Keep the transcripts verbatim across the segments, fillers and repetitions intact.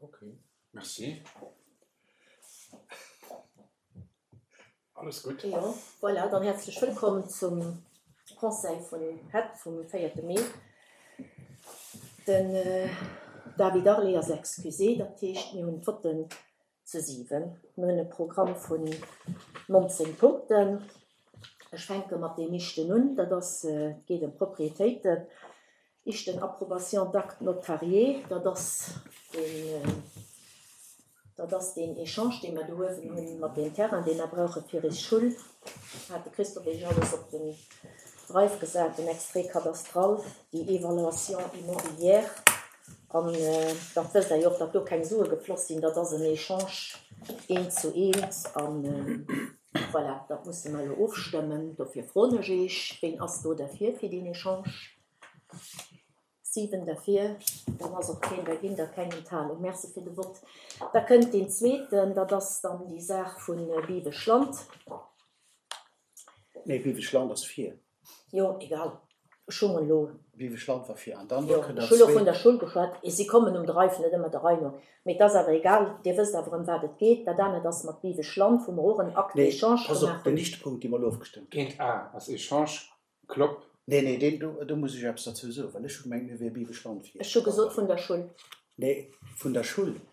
Ok, merci. Alles gutt. Jo, voilà, dann häerzlech wëllkomm zum Conseil vun het vum véierte Mee. Den David Arlé ass excusé, dat heescht mir hunn d'Votten zu siwen. Mir hunn e Programm vun nonzéng Punkten. Ech fänke mat deem éischten un, dat ass, et geet ëm Propriétéiten. Éischten Approbation d'acte notarié, dat ass deen, dat ass deen Echange, dee mer do uewen hunn mat deem Terrain, dee mer brauche fir eis Schull. Hat de Christophe Iech alles op den Drive gesat, den Extrait cadastral, déi Évaluation immobilière. An dat wësst Der jo och, datt do keng Sue gefloss sinn, dat ass en Echange eent zu eent. An voilà, dat musse mer elo ofstëmmen. Dofir froen ech Iech, ween ass do derfir fir deen Echange? Siwen derfir, dann ass och keen dergéint a keng Enthalung. Merci fir de Vott. Da kënnt deen zweeten, dat ass dann déi Saach vu Biweschland. Nee, Biweschland ass vir. Jo, egal. Ech hunn elo. Biweschland war vir an dann Jo, kënnt ech dat hu lo vun zweet. der Schull geschwat. Si kommen um Drive net ëmmer der Rei no. Mee et ass awer egal, Dir wësst awer ëm wat et geet. Dat anert ass mat Biweschland, wou mer och en Acte Nee, d'échange pass op, gemaach den hunn. éischte Punkt, dee mer elo ofgestëmmt hunn. Eent A ass Echange, Klopp. Nee, nee, deen do, do muss ech eppes derzou soen, well ech hu gemengt, mir wier Biweschland vir. Ech hu gesot vun der Schull. Nee, vun der Schull. Deen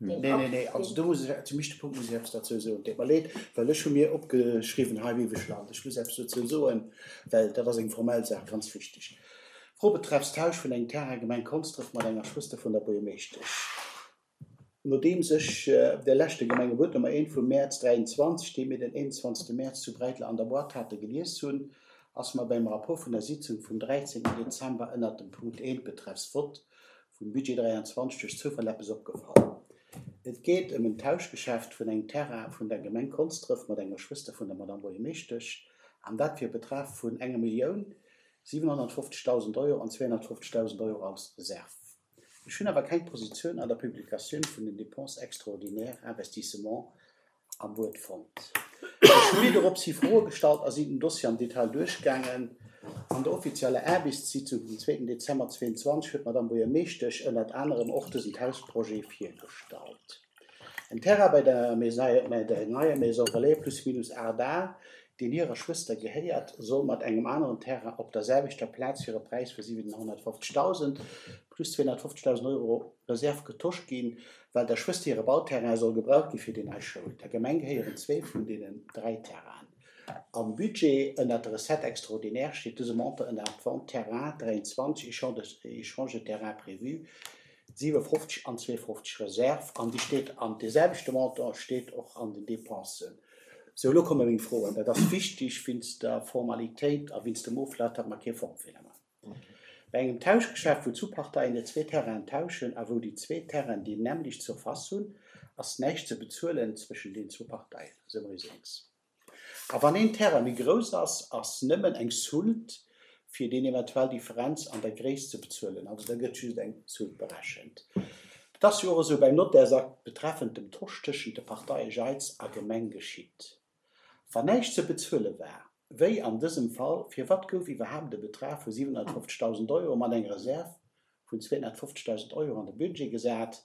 Nee, nee, Akt, nee, also deen. do muss ech, zum éischte Punkt muss ech eppes derzou soen. Deet mer leed, well ech hu mir opgeschriwwen hei Biweschland. Ech muss eppes dozou soen, well dat ass eng formell Saach, ganz wichteg. Fro betreffs Tausch vun engem Terrain Gemeng Konsdref mat enger Schwëster vun der Buergermeeschtesch. Nodeems ech de leschte Gemengebuet Nummer eent vum Mäerz dräianzwanzeg, dee mir den eenundzwanzegste Mäerz zu Bräitler an der Boîte hate gelies hunn, ass mer beim Rapport vun der Sitzung vum dräizéngten Dezember ënnert dem Punkt eent betreffs Vott vum Budget dräianzwanzeg duerch Zoufall eppes opgefall. Et geet ëm en Tauschgeschäft vun engem Terrain vun der Gemeng Konsdref mat enger Schwëster vun der Madame Buergermeeschtesch, an dat fir e Betrag vun enger Millioun siwenhonnertfofzegdausend Euro an zweehonnertfofzegdausend Euro als Reserve. Ech hunn awer keng Positioun an der Publikatioun vun den Dépenses extraordinaires investissement am Buet fonnt. Ech hu mir doropshi Froe gestallt a sinn den Dossier am Detail duerchgaangen. An der offizieller Aarbechtssitzung vum zweeten Dezember zweeënzwanzeg huet d'Madame Buergermeeschtesch ënnert anerem och dësen Tauschprojet virgestallt. En Terrain bei der Maison, bei der neier Maison Relais plus minus aacht A, deen hirer Schwëster gehéiert, soll mat engem aneren Terrain op der selwechter Plaz fir e Präis vu siwenhonnertfofzegdausend plus zweehonnertfofzegdausend Euro Reserve getosch ginn, well der Schwëster hire Bauterrain soll gebraucht gi fir déi nei Schoul. Der Gemeng gehéieren zwee vun deenen dräi Terrainen. Am Budget ënnert der Recette extraordinaire steet dëse Montant ënner Vente Terrain dräianzwanzeg, Échange de terrain prévu, siwefofzeg an zweefofzeg Reserve, an déi steet an dee selwechte Montant steet och an den Dépensen. Sou, elo komme meng Froen. Dat ass wichteg wéinst der Formalitéit a wéinst dem Oflaf, datt mer kee Formfeeler maachen. Bei engem Tauschgeschäft, wou zwou Parteien hir zwee Terrainen tauschen a wou déi zwee Terrainen déi nämmlecht Surface hunn, ass näischt ze bezuelen zwëschen den zwou Parteien. Esou mer eis eens. A wann een Terrain méi grouss ass, ass nëmmen eng Soulte fir deen eventuell Differenz an der Gréisst ze bezuelen. Also da gëtt just eng Soulte berechent. Dat ass jo och esou beim Nottärsakt betreffend dem Tosch tëschent de Parteie Jeitz a Gemeng geschitt. Wann näischt ze bezuele war, wéi an dësem Fall, firwat gouf iwwerhaapt e Betrag vu siwenhonnertfofzegdausend Euro mat enger Reserve vun zweehonnertfofzegdausend Euro an de Budget gesat,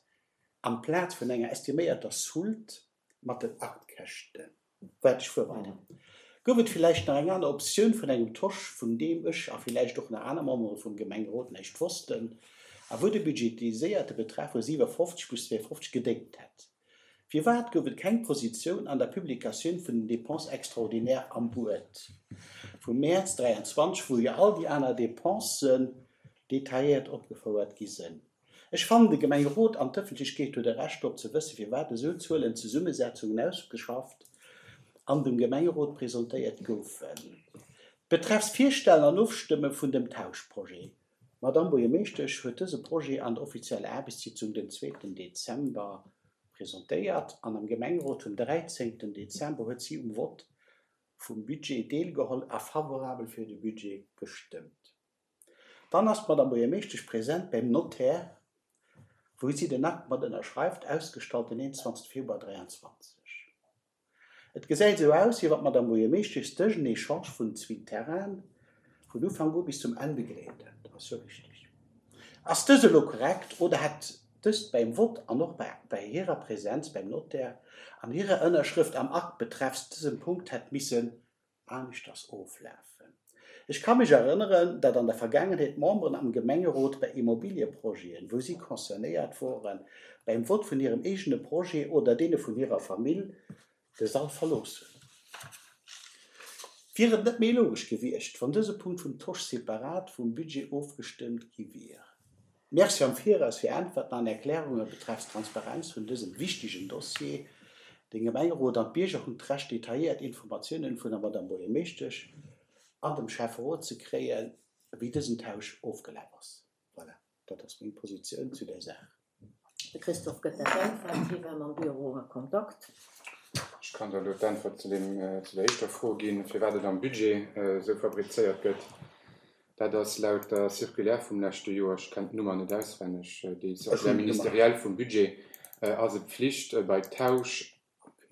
amplaz vun enger estiméierter Soulte mat den Aktkäschten? Wat ech fuer weider. Gouf et villäicht nach eng aner Optioun vun engem Tosch, vun deem ech a villäicht och nach aner Membere vum Gemengerot näischt wossten, a wou de budgetiséierte Betrag vu siwefofzeg plus zweefofzeg gedéngt hätt? Firwat gouf et keng Positioun an der Publikatioun vun den Dépenses extraordinaires am Buet vum Mäerz dräianzwanzeg, wou jo all déi aner Dépensen detailléiert opgefouert gi sinn? Ech fannen, de Gemengerot an d'Ëffentlechkeet huet e Recht drop ze wëssen, firwat esou Zuelenzesummesetzungen ausgeschafft an dem Gemengerot presentéiert goufen. Betreffs Virstellen an Ofstëmme vun dem Tauschprojet. D'Madame Buergermeeschtesch huet dëse Projet an der offizieller Aarbechtssitzung den zweeten Dezember presentéiert an am Gemengerot vum dräizéngten Dezember huet si um Vott vum Budget deelgeholl a favorabel fir de Budget gestëmmt. Dann ass d'Madame Buergermeeschtesch present beim Notaire, wou si den Akt mat ënnerschreift, ausgestallt den eenundzwanzegste Februar dräianzwanzeg. Et gesäit esou aus, wéi wann d'Madame Buergermeeschtesch dësen Echange vun zwee Terrainen vun Ufank u bis zum Enn begleet hätt. Ass jo richteg. Ass dës elo korrekt oder hätt dëst beim Vott an och bei hirer Presenz beim Notaire an hirer Ënnerschrëft am Akt betreffs dësem Punkt hätt missen aneschters oflafen. Ech ka mech erënneren, datt an der Vergaangenheet Memberen am Gemengerot bei Immobilieprojeten, wou si concernéiert woren, beim Vott vun hirem eegene Projet oder deene vun hirer Famill, de Sall verlooss hunn. Wier et net méi logesch gewiescht, wann dëse Punkt vum Tosch separat vum Budget ofgestëmmt gi wier? Merci am Viraus fir Äntwerten an Erklärunge betreffs Transparenz vun dësem wichtegen Dossier. De Gemengerot an d'Bierger hunn d'Recht detailléiert Informatiounen vun der Madame Buergermeeschtesch an dem Schäfferot ze kréien, wéi dësen Tausch ofgelaf ass. Voilà, dat ass meng Positioun zu där Saach. De Christophe gëtt dat Äntwert, hie war mam Büro a Kontakt. Ech kann der elo d'Äntwert zu deem, zu der éischter Fro ginn, firwat et am Budget esou fabrizéiert gëtt. Dat ass laut der Circulaire vum leschte Joer, ech kenn d'Nummer net auswenneg, déi Circulaire ministérielle vum Budget, ass et Pflicht bei Tausch,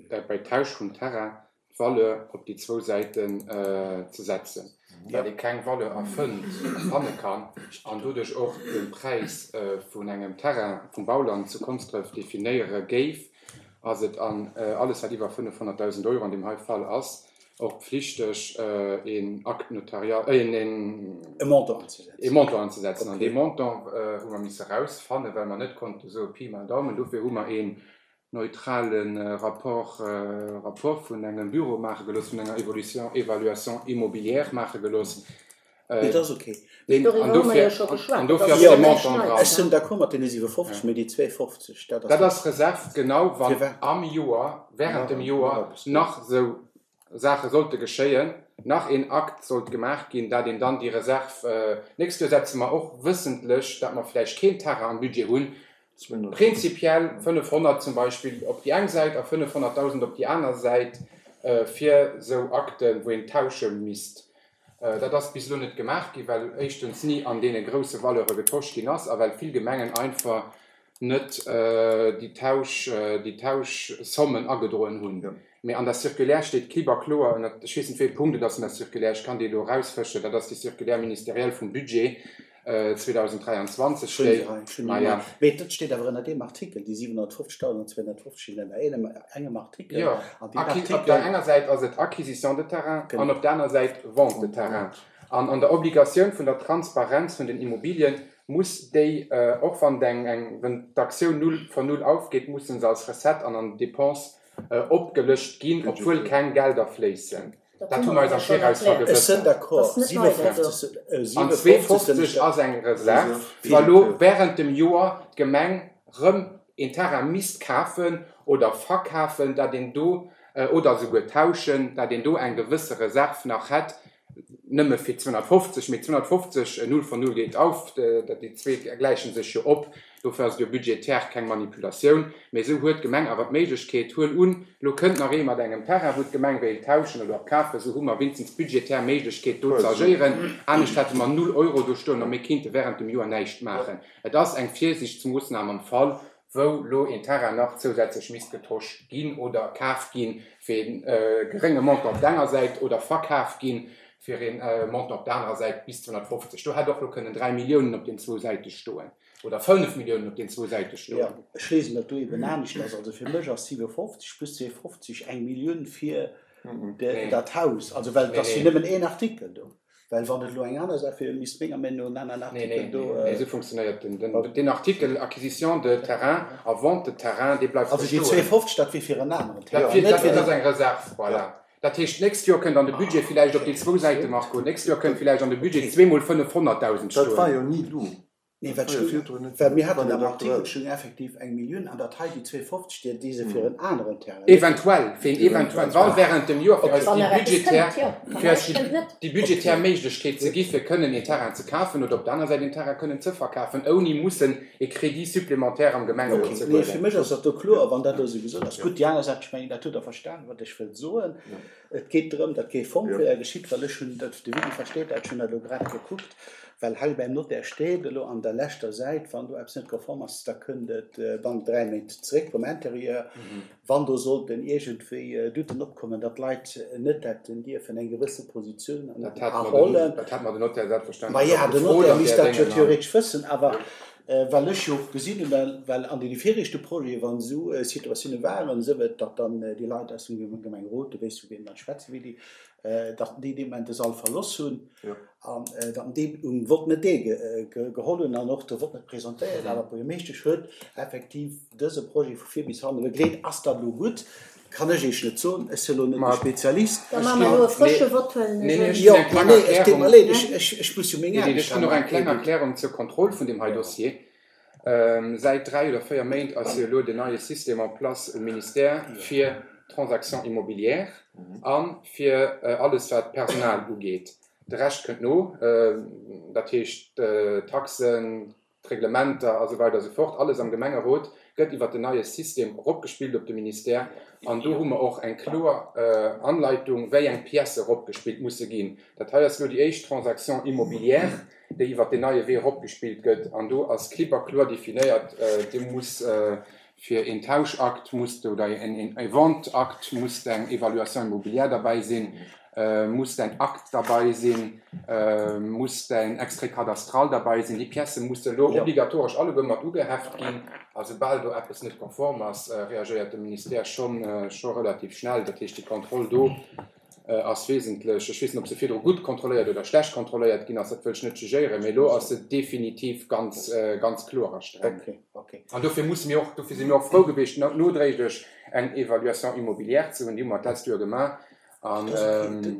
bei Tausch vum Terrain d'Valeur op déi zwou Säiten ze setzen, well ee keng Valeur erfënnt, erfanne kann an doduerch och de Präis vun engem Terrain, vum Bauland zu Konsdref definéiere géif, ass et an alles wat iwwer fënnefhonnertdausend Euro an deem hei Fall ass, och pflichteg een Acte notarial, een, een, E Montant anzesetzen. e Montant anzesetzen. An dee Montant hu mer misse erausfannen, well mer net konnte soe Pi mal Daumen. Dofir hu mer een neutrale Rapport, Rapport vun engem Büro maache gelooss, vun enger Evolution, Évaluation immobilière maache gelooss. Nee, dat ass ok. Deen, Doriwwer an hu mer jo dofir, scho geschwat. an Dat dofir ass ass de jo näischt Montant Neies, dran. Ech sinn d'accord mat deene siwefofzeg, mee déi zweefofzeg, dat ass Dat ass Reserv, genau, wann Firwat? am Joer, während dem Nach Joer eppes do. nach esou Saache sollte geschéien, nach een Akt sollt gemaach ginn, dat een dann déi Reserv, nächst Joer setze mer och wëssentlech, dat mer vläicht keen Terrain am Budget hunn, prinzipiell fënnefhonnert zum Beispill op déi eng Säit a fënnefhonnertdausend op déi aner Säit, fir esou Akten, wou een tausche misst. Dat ass bis elo net gemaach ginn, well éischtens ni an deene grousse Valeure getosch ginn ass a well vill Gemengen einfach net déi Tausch, déi Tauschsommen agedroen hunn. Mee an der Circulaire steet klipp a kloer, ënner, ech weess net wéi ee Punkt et ass an der Circulaire, ech kann déi elo erausfëschen, dat ass déi Circulaire ministérielle vum Budget zweedausenddräianzwanzeg Schön, steet. schön, Maja. Mee dat steet awer ënner deem Artikel, déi siewenhonnertfofzegdausend an zweehonnertfofzeg stinn ënner engem, engem Artikel. Jo, An deen Acqui-, op Artikel der enger Säit ass et Acquisition de terrain Genau. an op der aner Säit Vente de terrain. An an der Obligatioun vun der Transparenz vun den Immobilien muss déi, och wann eng, eng, wenn d'Aktioun null von null aufgeht, mussen se als Recette an an Dépense opgelëscht ginn, obwuel keng Gelder fléissen. Dat hu mer eis am Viraus Ech sinn vergewëssert. d'accord. Dat ass net nei, dat do. siewenfofzeg, An siewenfofzeg zweefofzeg ass eng Reserv, wa lo während dem Joer d'Gemeng rëm een Terrain misst kafen oder verkafen, dat een do, oder souguer tauschen, dat een do eng gewësse Reserv nach hätt, nëmme fir zweehonnertfofzeg, mee zweehonnertfofzeg, null von null geht auf, dat déi zwee gläichen sech jo op, dofir ass et jo budgetär keng Manipulatioun, mee esou huet d'Gemeng awer d'Méiglechkeet, huel un, lo kënnt nach ee mat engem Terrain, wou d'Gemeng wéilt tauschen oder kafen, esou hu mer winstens budgetär Méiglechkeet do ze agéieren, anescht hätte mer null Euro do stoen a mir kinnte während dem Joer näischt maachen. Et ass eng Virsiichtsmoossnam am Fall, wou lo een Terrain nach zousätzlech misst getosch ginn oder kaf ginn fir een gerénge Montant op der enger Säit oder verkaf ginn fir een Montant op der anerer Säit bis zweehonnertfofzeg. Do hätt och lo kënnen dräi Milliounen op den zwou Säite stoen oder fënnef Milliounen op den zwou Säite stoen. Ja, ech lesen dat do eben anescht ass. Also fir mech ass siwefofzeg plus zweefofzeg eng Millioun fir de, Nee. dat Haus. Also well Nee, dat ass jo nee. nëmmen een Artikel do. Well wann et lo eng aner Saach wier, misst menger Meinung no en aneren Nee, Artikel nee, do, nee, esou funktionéiert den, den, den Artikel Acquisition de terrain a Vente de terrain, dee bleift Also déi bestoen. zweefofzeg, dat wier fir en aneren Dat Terrain, wier, net dat fir ass den eng Reserv, voilà. Dat heescht, nächst Joer kënnt an de Budget villäicht op déi zwou Säite, Marco, nächst Joer kënnt villäicht an de Budget zweemol fënnefhonnertdausend Dat war stoen. jo ni do. Nee, Dat wat war jo stoung, virdrun net well mir do. haten War am net Artikel aktuell. stoung effektiv eng Millioun an dat hei déi zweefofzeg, déi déi se fir en aneren Terrain, net fir Eventuell, fir een eventuell, wann während dem Joer fir eis Wann déi nach eppes budgetär, kënnt, jo. Wann fir eis näischt déi, kënnt, net. déi budgetär Méiglechkeet ze gi fir kënnen een Terrain ze kafen oder op der aner Säit een Terrain kënnen ze verkafen, ouni mussen e Crédit supplémentaire am Gemengerot Okay, ze nee, fir huelen. mech ass dat do kloer, wann dat do esou gesot ass. Gutt, déi aner Saach, ech mengen, dat hutt Der verstanen, wat ech wëll soen. Et geet drëm, datt kee Formfeeler geschitt, well ech hunn dat, de Willy versteet dat, ech hunn dat elo grad gekuckt, well hei beim Notaire steet elo an der leschter Säit, wann do eppes net konform ass, da kënnt et bannent dräi Méint zeréck vum Intérieur. Wann do sollten iergendwéi Douten opkommen, datt d'Leit net hätten dierfen eng gewësse Positioun Dat hat mer den, erhollen. dat hat mer den Notaire selbstverständlech Ma ja, och den gefrot Notaire an misst där dat jo Déngen an theoretesch wëssen, awer Well ech jo och gesinn hunn, well, well an deene viregte Projete wann esou Situatioune waren, esou et, datt dann déi Leit aus dem Gemengerot, du weess vu wiem ech schwätzen, Willy, datt déi dee Moment de Sall verloss hunn an datt déi um Vott net deelgeholl hunn an och de Vott net presentéiert. Awer d'Buergermeeschtesch huet effektiv dëse Projet vu vir bis hanne begleet. Ass dat elo gutt? Kann ech Iech net soen, ech sinn elo net de Spezialist. Da maache mer elo e frësche Vott, huelen ech un. Jo, ma nee, et deet mer leed, ech muss jo meng Aarbecht Ech hunn och eng kleng Erklärung zur Kontroll vun deem hei Dossier. Säit dräi oder véier Méint ass jo elo den neie System en place um Ministère fir d'Transactions immobilières a fir alles wat d'Personal ugeet. De Rescht kënnt no, dat heescht d'Taxen, d'Reglementer a sou weider a sou fort, alles am Gemengerot gëtt iwwert den neie System eropgespillt op de Ministère an do hu mer och eng kloer Anleitung, wéi eng Piècë eropgespillt musse ginn. Dat hei ass elo déi éischt Transaction immobilière, déi iwwert deen neie Wee eropgespillt gëtt an do ass klipp a kloer definéiert, do muss fir een Tauschakt muss oder een Vente-Akt muss eng Évaluation immobilière derbäi sinn, muss däin Akt derbei sinn, muss däin Extrait cadastral derbei sinn. Déi Piècë musse elo obligatoresch alleguer mat ugeheft ginn. A soubal do eppes net konform ass, reagéiert de Ministère schonn scho relativ schnell. Dat heescht, déi Kontroll do ass wesentlech. Ech weess net, ob se virdru gutt kontrolléiert oder schlecht kontrolléiert ginn ass, dat wëll ech net jugéieren, mee elo ass se definitiv ganz, ganz kloer a streng. An dofir musse mir och, dofir si mir och frou gewiescht, nodréiglech eng Évaluation immobilière ze hunn. Déi hu mer d'lescht Joer gemaach. An,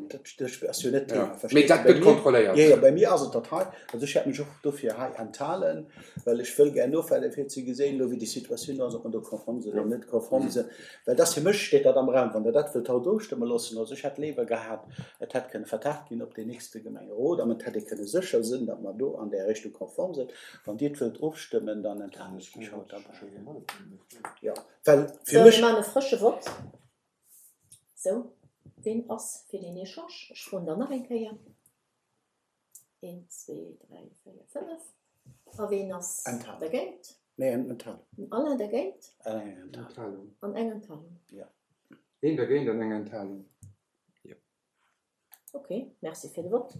Dat ass jo net d'Thema, mee verstees dat du? Bei gëtt mir, kontrolléiert. jo, jo, bei mir ass et dat hei. Also ech hätt mech och dofir hei enthalen, well ech wëll gär nofalen, fir ze gesinn elo, wéi déi Situatioun ass, ob mer do konform sinn oder net konform sinn. Well dat ass fir mech, steet dat am Raum, wann Der dat wëllt haut ofstëmme loossen. Also ech hätt léiwer gehat, et hätt kënne vertagt ginn op deen nächste Gemengerot an et hätt ee kënne sécher sinn, datt mer do an där Richtung konform sinn. Wann Dir et wëllt ofstëmmen, dann enthalen ech mech haut derbäi. Jo, well fir Sou, mir mech. maachen e frësche Vott. Sou, ween ass fir deen Echange? Ech froen dann nach eng Kéier. Een, zwee, dräi, véier, fënnef. A ween ass Enthalung. dergéint? Nee, eng Enthalung. Den Alain dergéint? Eng Enthalung. Enthalung. An eng Enthalung. Ja. Een dergéint an eng Enthalung. Ok, merci fir de Vott.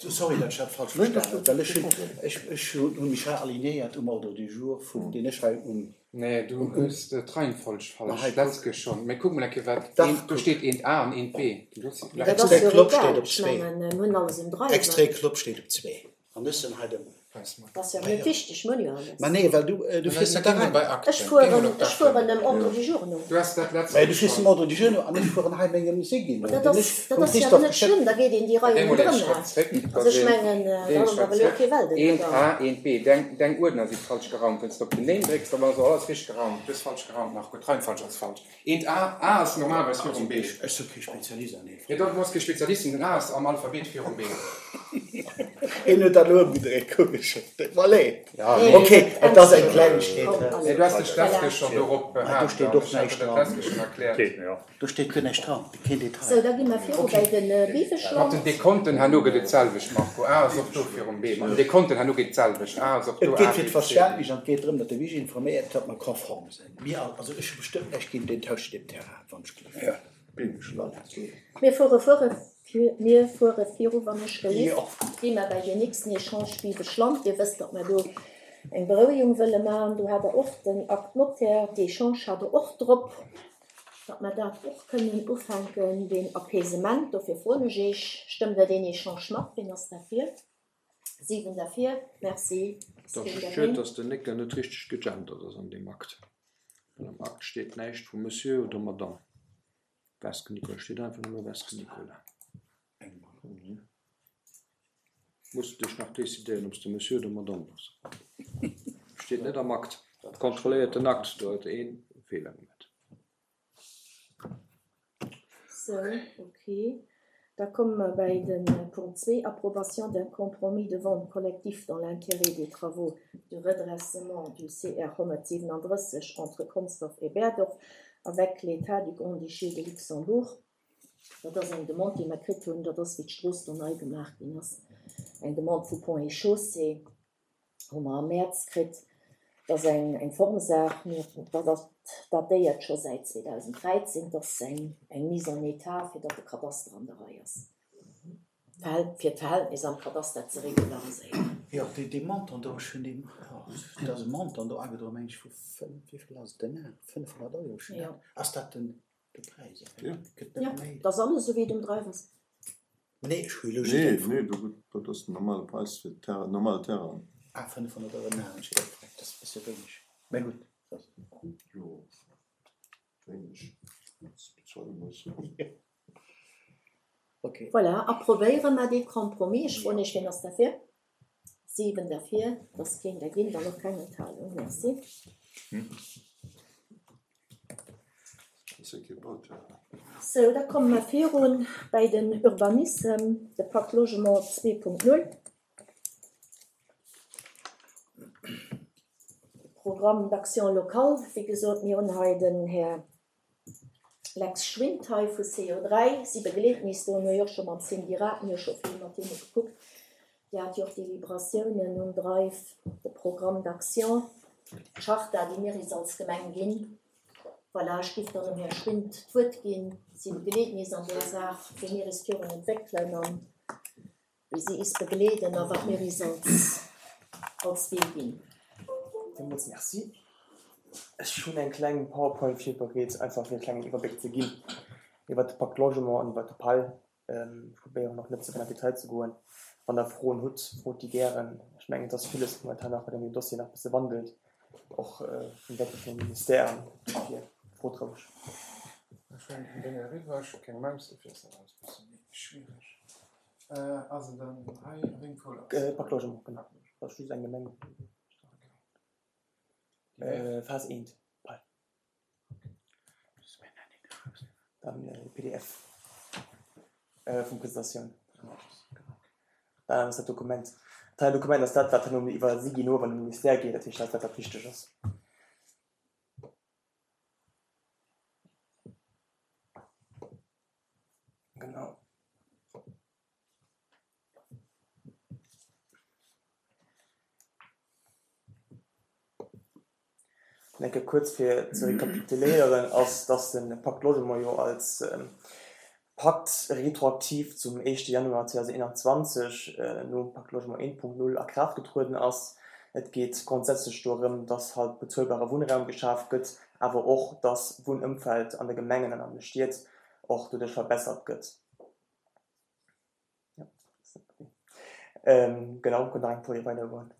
Sorry, datt ech dat falsch verstanen hunn, well ech hunn, ech, ech hunn mech hei alignéiert um Ordre du jour vum, deen ech hei um. Nee, du hues d'Reihenfolg Ma falsch, hei, d'letzt kuck. Keer schonn. Mee kuck mol eng Keer, wat Dach, eent, do kuck. steet eent A an eent B. Du hues Mee dat ass Extrait jo Klopp egal, steet op ech zwee. mengen, mir hunn alles um Dreiwen. Extrait Klopp steet op zwee. An ech sinn hei dem. Weis mol. Dat ass jo Ah net jo. wichteg, mir hunn jo alles. Ma nee, well du, du fiers Mä net da géi mol rein. bei Ech Akten, géi mol fueren, op ech d'Akten. fueren dem Ordre du jour no. Du has dat letzt Mä du Keer fiers dem schonn. Ordre du jour no an ech fueren hei mengem Siggi Ma no, dat deen ass, ech dat vum ass jo awer Christophe net geschéckt. schlëmm, da geet een déi Géi Reien mol een ronderëm. Schrëtt zréck, Also dass ech een, mengen, géi da een ass Schrëtt awer elo zréck. kee Welten Eent oder. A, eent B. Deng, deng Uerdner si falsch geraumt. Wann s de op den Name drécks, da war se alles richteg geraumt. Du hues falsch geraumt, Marco. D'Reihenfolg ass falsch. Eent A, A ass normalerweis Also virum B. ech, ech si kee Spezialist an deem Jo, Fall. du bass kee Spezialist, den A ass am Alphabet virum B. Hien huet dat elo ëmgedréit, kuck ech. Deet mer leed. Ja, Nee, nee. Ok, dat et ass eng ännert Klengegkeet. Komm, Nee, allez. du has dech d'lescht Voilà. Keer schonn dorop Ma do behaart steet an och ech hat näischt der dat dran. d'lescht Keer schonn erkläert. Geet mir, ja. Do steet guer näischt dran, keen Detail. Sou, da gi mer viru Ok. bei de Mat den Biweschland. Dekonten herno gëtt et d'selwecht, Marco. A ass och do virum B. Mat den Dekonten herno geet et d'selwecht. A ass och Et do geet A, fir B, C, D. d'Verständnis an et geet drëm, datt de Vigil informéiert, datt mer konform sinn. Mir all, also ech hu bestëmmt näischt géint deen Tausch deem Terrain, wann ech gleef. Ja. Voilà. Mir fuere fuere mir fuere viru, wann ech gelift. Jo. Gi mer bei den nächsten Echange Biweschland. Dir wësst, datt mer do eng Berouegung wëlle maachen. Do hat der och den Acte notaire d'échange hat der och drop, datt mer dat och kënnen ufänken, den Apaisement. Dofir froen ech Iech, stëmmt der deen Echange mat? Wien ass derfir? Siwen derfir. Merci. Ass Dat keen ass schued, dergéint? dass den Néckel net richteg gegendert ass an deem Akt. Well am Akt steet näischt vu Monsieur oder Madame. Weske Nicolas steet einfach nëmme Weske Nicolas. Muss dech nach decidéieren, ob s de Monsieur oder Madame bass. Steet net am Akt. Kontrolléiert den Akt, do huet ee Feeler gemaach. Sou, ok. Da komme mer bei de Punkt zwee, Approbation d'un compromis de vente collectif dans l'intérêt des travaux de redressement du C R honnertsiewenandrësseg entre Consdorf et Berdorf avec l'État du Grand-Duché de Luxembourg. Dat ass eng Demande, déi mer kritt hunn, dat ass, wéi d'Strooss do nei gemaach ginn ass. Eng Demande vu Ponts et Chaussées hu mer am Mäerz kritt. Dat ass eng, eng Formsaach, mir, dat ass datéiert scho säit zweedausenddräizéng, dat ass eng, eng Mise en état, fir datt de Kadaster an der Rei ass. Verhält, fir d'Verhältnis am Kadaster ze regulariséieren. Jo, dee, dee Montant do, ech hunn dee, oh, et ass e Montant do agedroen, meng ech, vu fënnf, wéi vill ass et denn? fënnfhonnert Euro, ech hunn Jo. dat, ass dat den, de Präis? Jo. Gëtt net Ja, méi. dat ass alles esou wéi et um Drive ass. Nee, ech hu elo just Nee, eng Fro. nee, do gëtt, dat ass den normale Präis fir Terrain, normale Terrain. Ah, fënnfhonnert Euro den Ar, ech hu dat, dat ass e bësse wéineg. Mä gutt, dat. Jo, wéineg, wat s de bezuele muss. Okay. Voilà, approvéiere mer dee Compromis. Ech froen Iech, wien ass derfir? Siwen derfir, et ass keen dergéint an och keng Enthalung. Merci. Sou, da komme mer virun bäi den Urbanissem, de Pacte Logement zwee Punkt null, de Programme d'action locale. Wéi gesot, mir hunn hei den Här Lex Schwind hei vu C O dräi. Si begleeten is do. Mir hu jo och scho mam Cindy Rath, mir hu scho vill mat hinne gekuckt. Dir hat jo och d'Deliberatiounen um Drive, de Programme d'action, d'Charta, déi mir is als Gemeng ginn. Voilà, ech géif dann dem Här Schwind d'Wuert ginn. Si begleeten is an där Saach, wéi mir is virun entwéckelen an wéi si is begleeden a wat mir is als, als Wee ginn. Villmools Merci. Ech hunn eng kleng PowerPoint virbereet, einfach fir e klengen Iwwerbléck ze ginn iwwer de Pacte Logement an iwwer de P A L. Ech probéieren och net ze vill an Detail ze goen. Wann Der Froen hutt, frot déi gären. Ech mengen, et ass villes momentan nach, wat an deem Dossier nach e bësse wandelt, och vum Wäerte vum Ministère an dofir frot roueg. Ech huelen den Ding eriwwer, ech hu keng Maus, dofir ass dat alles e bësse méi schwiereg. Ass et dann hei wéi eng Folie ass et? Pacte Logement, genau. Dat ass just eng Gemeng. Phase eent, P A L. Dann P D F vum Presentatioun. Dann ass dat Dokument. Dat Dokument ass dat, wat herno iwwer si ginn, wann de Ministère geet, dat heescht, dat ass dat, wat wichteg ass. Genau. Denke kuerz fir ze rekapituléieren ass, dass de Pacte Logement jo als Pakt retroaktiv zum éischte Januar zweedausendeenanzwanzeg nom Pacte Logement eent Punkt null a Kraaft getrueden ass. Et geet grundsätzlech dorëm, dass halt bezuelbare Wunnraum geschaf gëtt, awer och, dass Wunnëmfeld an de Gemengen an an de Stied och doduerch verbessert gëtt. Ja, genau, kënnt nach eng Folie weidergoen.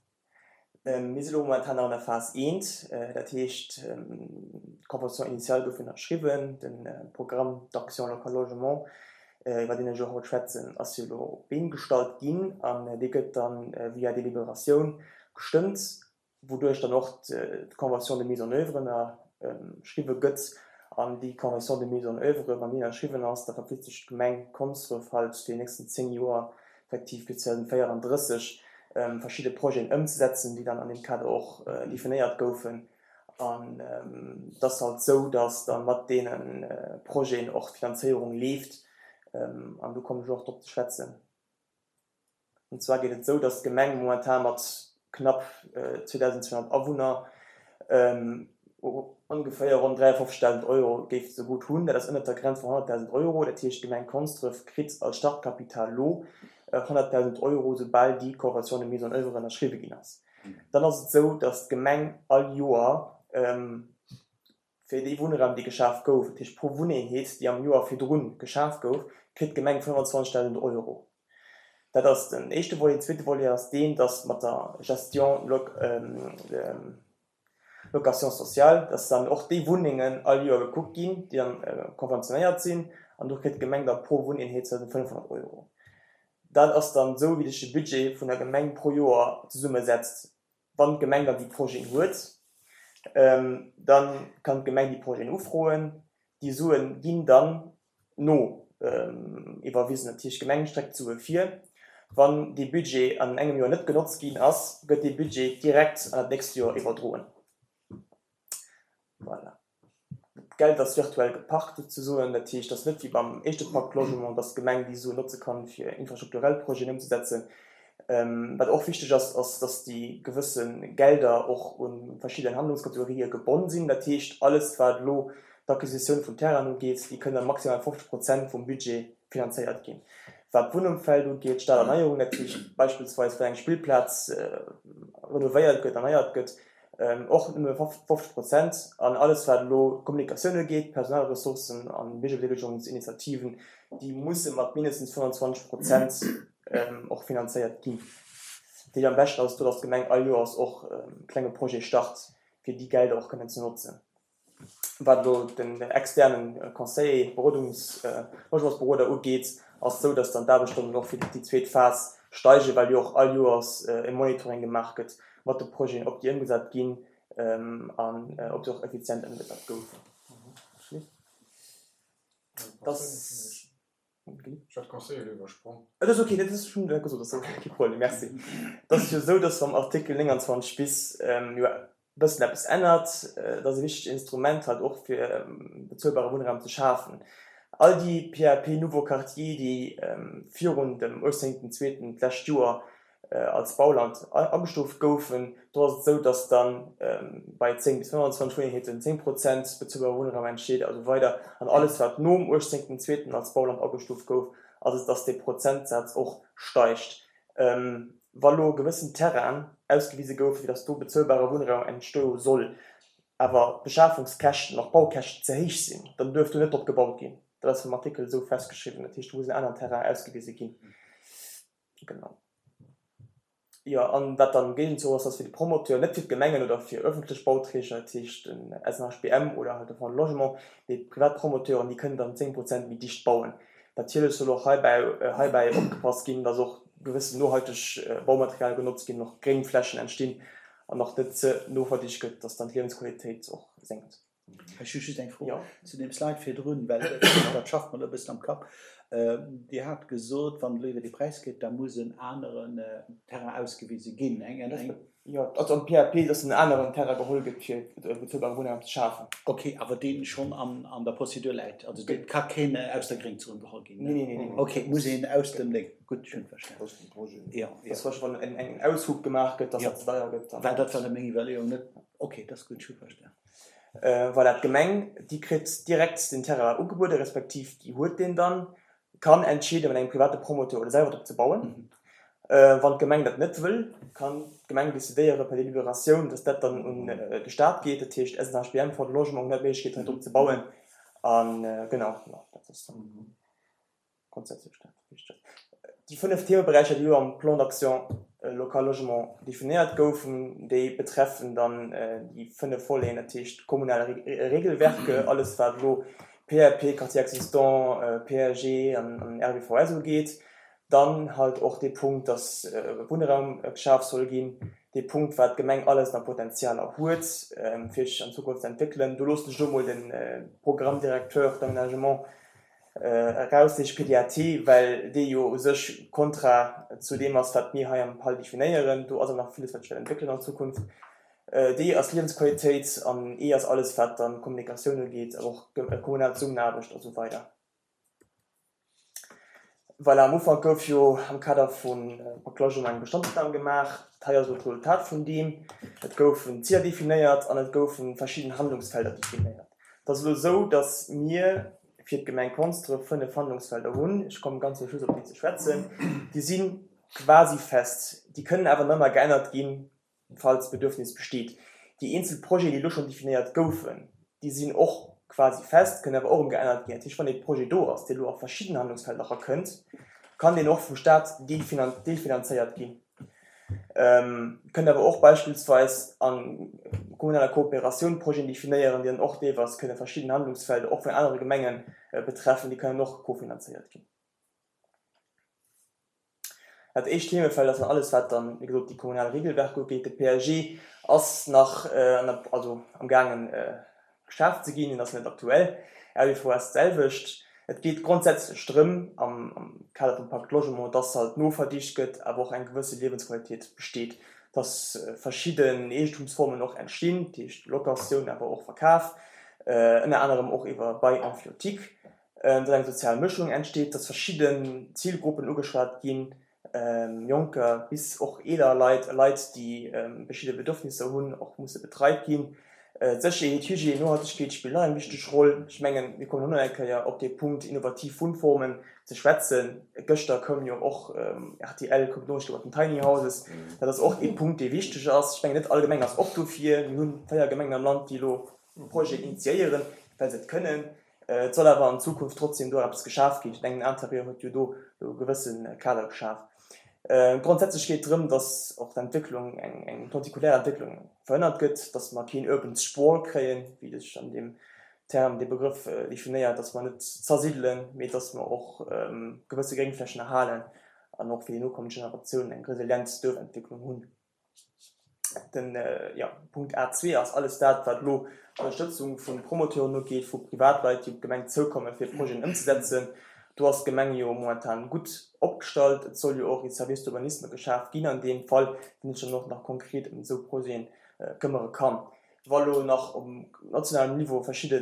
Mir si lo momentan nach an der Phas eent, dat heescht d'Convention initiale gouf ënnerschriwwen, de Programme d'action local logement, iwwer deen ech och haut schwätzen, ass jo lo op d'Been gestallt ginn an dee gëtt dann via Deliberatioun gestëmmt, wouduerch dann och d'Convention de mise en œuvre ënnerschriwwe gëtt. An déi Convention de mise en œuvre, wann déi ënnerschriwwen ass, da verpflicht sech d'Gemeng Konsdref halt fir déi nächsten zéng Joer, effektiv bis zweedausendvéierunddrësseg, verschidde Projeten ëmzesetzen, déi dann an deem Kader och definéiert goufen. An et ass halt esou, datt da mat deene Projeten och d'Finanzéierung leeft. An do kommen ech och drop ze schwätzen. An zwar geet et esou, datt d'Gemeng momentan mat knapp zweedausendzweehonnert Awunner ongeféier ronn dräiundfofzegdausend Euro géif ze gutt hunn. Dat ass ënnert der Grenz vun honnertdausend Euro. Dat heescht, d'Gemeng Konsdref kritt als Startkapital lo honnertdausend Euro, soubal déi Convention de mise en œuvre ënnerschriwwe ginn ass. Dann ass et esou, datt d'Gemeng all Joer fir dee Wunnraum, dee geschaf gouf, dat heescht pro Wunneenheet, déi am Joer virdrun geschaf gouf, kritt d'Gemeng fënnefanzwanzegdausend Euro. Dat ass den éischte Volet. Den zweete Volet ass deen, datt mat der Gestion Location sociale, dass dann och déi Wunnengen all Joer gekuckt ginn, déi dann konventionéiert sinn, an do kritt d'Gemeng da pro Wunneenheet zweedausendfënnfhonnert Euro. Dat ass dann esou, wéi sech de Budget vun der Gemeng pro Joer zesummesetzt. Wann d'Gemeng dann déi Projeten huet, dann kann d'Gemeng déi Projeten ufroen. Déi Suen ginn dann no iwwerwisen. Dat heescht, d'Gemeng streckt d'Sue vir. Wann dee Budget an engem Joer net genotzt ginn ass, gëtt dee Budget direkt an dat nächst Joer iwwerdroen. Voilà. D'Geld ass virtuell geparkt souzesoen. Dat heescht, dass net wéi beim éischte Pacte Logement, dass d'Gemeng déi Suen notze kann, fir infrastrukturell Projeten ëmzesetzen. Wat och wichteg ass, ass, dass déi gewësse Gelder och u verschidden Handlungskategorië gebonn sinn. Dat heescht, alles, wat elo d'Acquisitioun vun Terrainen ugeet, déi kënne maximal fofzeg Prozent vum Budget finanzéiert ginn. Wat d'Wunnumfeld ugeet, d'Staderneierung, dat heescht beispillsweis wann eng Spillplaz renovéiert gëtt, erneiert gëtt, och nëmme fofzeg Prozent. An alles wat elo Kommunikatioun ugeet, Personalressourcen an Biergerbedeelegungsinitiativen, déi musse mat mindestens fënnwanzwanzeg Prozent och finanzéiert ginn. Dat heescht am beschten ass et do, datt d'Gemeng all Joers och e klenge Projet start, fir déi Gelder och kënnen ze notzen. Wat elo den externen Conseiller, Berodungs-, Logementsberoder ugeet, ass et esou, dass dann d'Aarbechtsstonnen och fir déi zweet Phas steigen, well jo och all Joers e Monitoring gemaach gëtt mat de Projeten, ob déi ëmgesat ginn an ob se och effizient ëmgesat goufen. Ech hat d'Conseiller elo iwwersprong. Et ass ok, dat ass schonn gesot, ass kee Problem, Merci. Et ass jo esou, dass am Artikel nénganzwanzeg bis jo e bëssen eppes ännert. Et ass e wichtegt Instrument halt och fir bezuelbare Wunnraum ze schafen. All déi P A P Nouveaux Quartiers, déi virun dem uechtzéngten zweeten d'lescht Joer als Bauland agestuuft goufen, do ass et esou, datt da bei zéng bis fënnwanzwanzeg Wunneenheeten zéng Prozent bezuelbare Wunnraum entsteet a sou weider. An alles wat nom uechtzéngten zweeten als Bauland agestuuft gouf, ass et, datt dee Prozentsaz och steigt. Wa lo gewëssen Terrainen ausgewise goufen, fir datt do bezuelbare Wunnraum entstoe soll, awer d'Beschafungskäschten, och d'Baukäschten ze héich sinn, dann duerf do net drop gebaut ginn. Dat ass vum Artikel esou festgeschriwwen. Dat heescht, do muss en aneren Terrain ausgewise ginn. Genau. Jo, an wat dann am Géigenzuch ass, ass fir de Promoteur, net fir d'Gemengen oder fir öffentlech Bauträger, dat heescht den S N H B M oder halt de Fonds de Logement, mee privat Promoteuren, déi kënnen dann zéng Prozent méi dicht bauen. Natierlech soll och heibäi, heibäi opgepasst ginn, dass och gewëssen nohalteg Baumaterial genotzt ginn, och gréng Flächen entstinn an och net ze noverdicht gëtt, dass dann d'Liewensqualitéit och senkt. Ech hu just eng Fro Jo. zu deem Slide virdrun, well dat schafft mer e bëssen am Kapp. Dir hat gesot, wann elo iwwer dee Präis geet, da muss en aneren Terrain ausgewise ginn. Eng, eng. Jo, also am P A P, dass en aneren Terrain geholl gëtt, fir bezuelbare Wunnraum ze schafen. Ok, awer deen schonn an, an der Prozedur läit. Also dee ka keen aus der Gréngzon geholl ginn. Nee, nee, nee, nee. Ok, muss een aus dem Léng. Gutt, ech hunn verstanen. Aus dem Projet. Jo, jo. Dass zum Beispill, wann en, en Aushub gemaach gëtt, dass Jo. dat ze deier gëtt, dann. Well dat war meng Iwwerleeung, net? Ok, dat ass gutt, ech hu verstanen. Voilà, d'Gemeng, déi kritt direkt den Terrain ugebuede respektiv déi huet deen dann, kann entscheeden, mat engem private Promoteur oder selwer drop ze bauen. Wann d'Gemeng dat net wëll, kann d'Gemeng decidéiere per Deliberatioun, dass dat dann un de Staat geet, dat heescht S N H B M, Fonds de Logement huet d'Méiglechkeet hei drop ze bauen. A genau, jo, dat ass dann grundsätzlech dat Wichtegst. Déi fënnef Themeberäicher, déi elo am Plan d'action local logement definéiert goufen, déi betreffen dann déi fënnef Voleten, dat heescht kommunal Regelwerke, alles wat elo P A P, Quartier existant, P A G an R B V S ugeet, dann halt och dee Punkt, dass Wunnraum geschaf soll ginn, dee Punkt, wat d'Gemeng alles nach Potenzialer huet, fir sech an Zukunft ze entwéckelen. Do loossen ech elo mol de Programme directeur d'aménagement eraussicht P D A T, well dee jo u sech kontra zu deem ass, wat mir hei am PAL definéieren. Do ass awer nach villes, wat sech wäert entwéckelen an Zukunft. D ass Liewensqualitéit an E ass alles, wat dann Kommunikatioun ugeet, awer och kommunal Zesummenaarbecht a sou weider. Voilà, am Ufank gouf jo am Kader vum Pacte Logement eng Bestandsopnam gemaach. Hei ass elo d'Resultat vun deem. Et goufen Ziler definéiert an et goufe verschidden Handlungsfelder definéiert. Et ass elo esou, datt mir fir d'Gemeng Konsdref fënnef Handlungsfelder hunn. Ech komme ganz zum Schluss op déi ze schwätzen. Déi si quasi fest. Déi kënnen awer nach ëmmer geännert ginn, falls Bedürfnis besteet. Déi eenzel Projeten, déi elo schonn definéiert goufen, déi sinn och quasi fest, kënnen awer och erëm geännert ginn. Dat heescht, wann ee Projet do ass, dee elo a verschidden Handlungsfelder erakënnt, kann deen och vum Staat deelfinanzéiert ginn. Kënnt awer och beispillsweis a kommunaler Kooperatioun Projeten definéieren, déi dann och deelweis kënne verschidden Handlungsfelder och vun anere Gemenge betreffen, déi kënnen och kofinanzéiert ginn. Dat éischt Themefeld ass dann alles, wat dann, wéi gesot, déi kommunal Regelwerk ugeet. De P A G ass nach an der, also am gaangen geschaaft ze ginn, deen ass net aktuell. R B V S d'selwecht. Et geet grondsätzlech drëm, am Kader vum Pacte Logement, dass halt noverdicht gëtt, awer och eng gewësse Liewensqualitéit besteet, dass verschidden Eegentumsformen och entstinn, dat heescht Locatioun, awer och Verkaf, ënner anerem och iwwer Bail emphytique, dass eng sozial Mëschung entsteet, dass verschidden Zilgruppen ugeschwat ginn, Jonker bis och eeler Leit, Leit, déi verschidde Bedürfnisser hunn, och musse betreit ginn. D'Sécherheet, d'Hygiène, d'Nohaltegkeet spillen och eng wichteg Roll. Ech mengen, mir kommen och nach eng Kéier op dee Punkt innovativ Wunnformen ze schwätzen. Gëschter koum jo och rtl koum d'Noriicht iwwert den Tiny Houses. Dat ass och ee Punkt, dee wichteg ass. Ech mengen, net all Gemeng ass op dofir. Mir hu véier Gemengen am Land, déi elo Projeten initiéieren, well se et kënnen. Et soll awer an Zukunft trotzdem do eppes geschaf ginn. Ech mengen, den Interieur huet jo do e gewësse Kader geschaf. Grondsätzlech geet et drëm, dass och d'Entwécklung, eng lentikulär Entwécklung verhënnert gëtt, dass mer keen urban sprawl kréien, wéi sech an deem Term, dee Begrëff definéiert, dass mer net zersidelen, mee dass mer och gewësse Gréngflächen erhalen an och fir déi nokommend Generatiounen eng resilient Duerfentwécklung hunn. Den Punkt A zwee ass alles dat, wat elo d'Ënnerstëtzung vu Promoteuren ugeet, vu Privatleit, déi op d'Gemeng zoukommen, fir Projeten ëmzesetzen. Do ass d'Gemeng jo momentan gutt opgestallt. Et soll jo och ee Service d'urbanisme geschaf ginn an deem Fall, deen sech dann och nach konkret ëm esou Projete këmmere kann. Wa lo nach um nationalem Niveau verschidde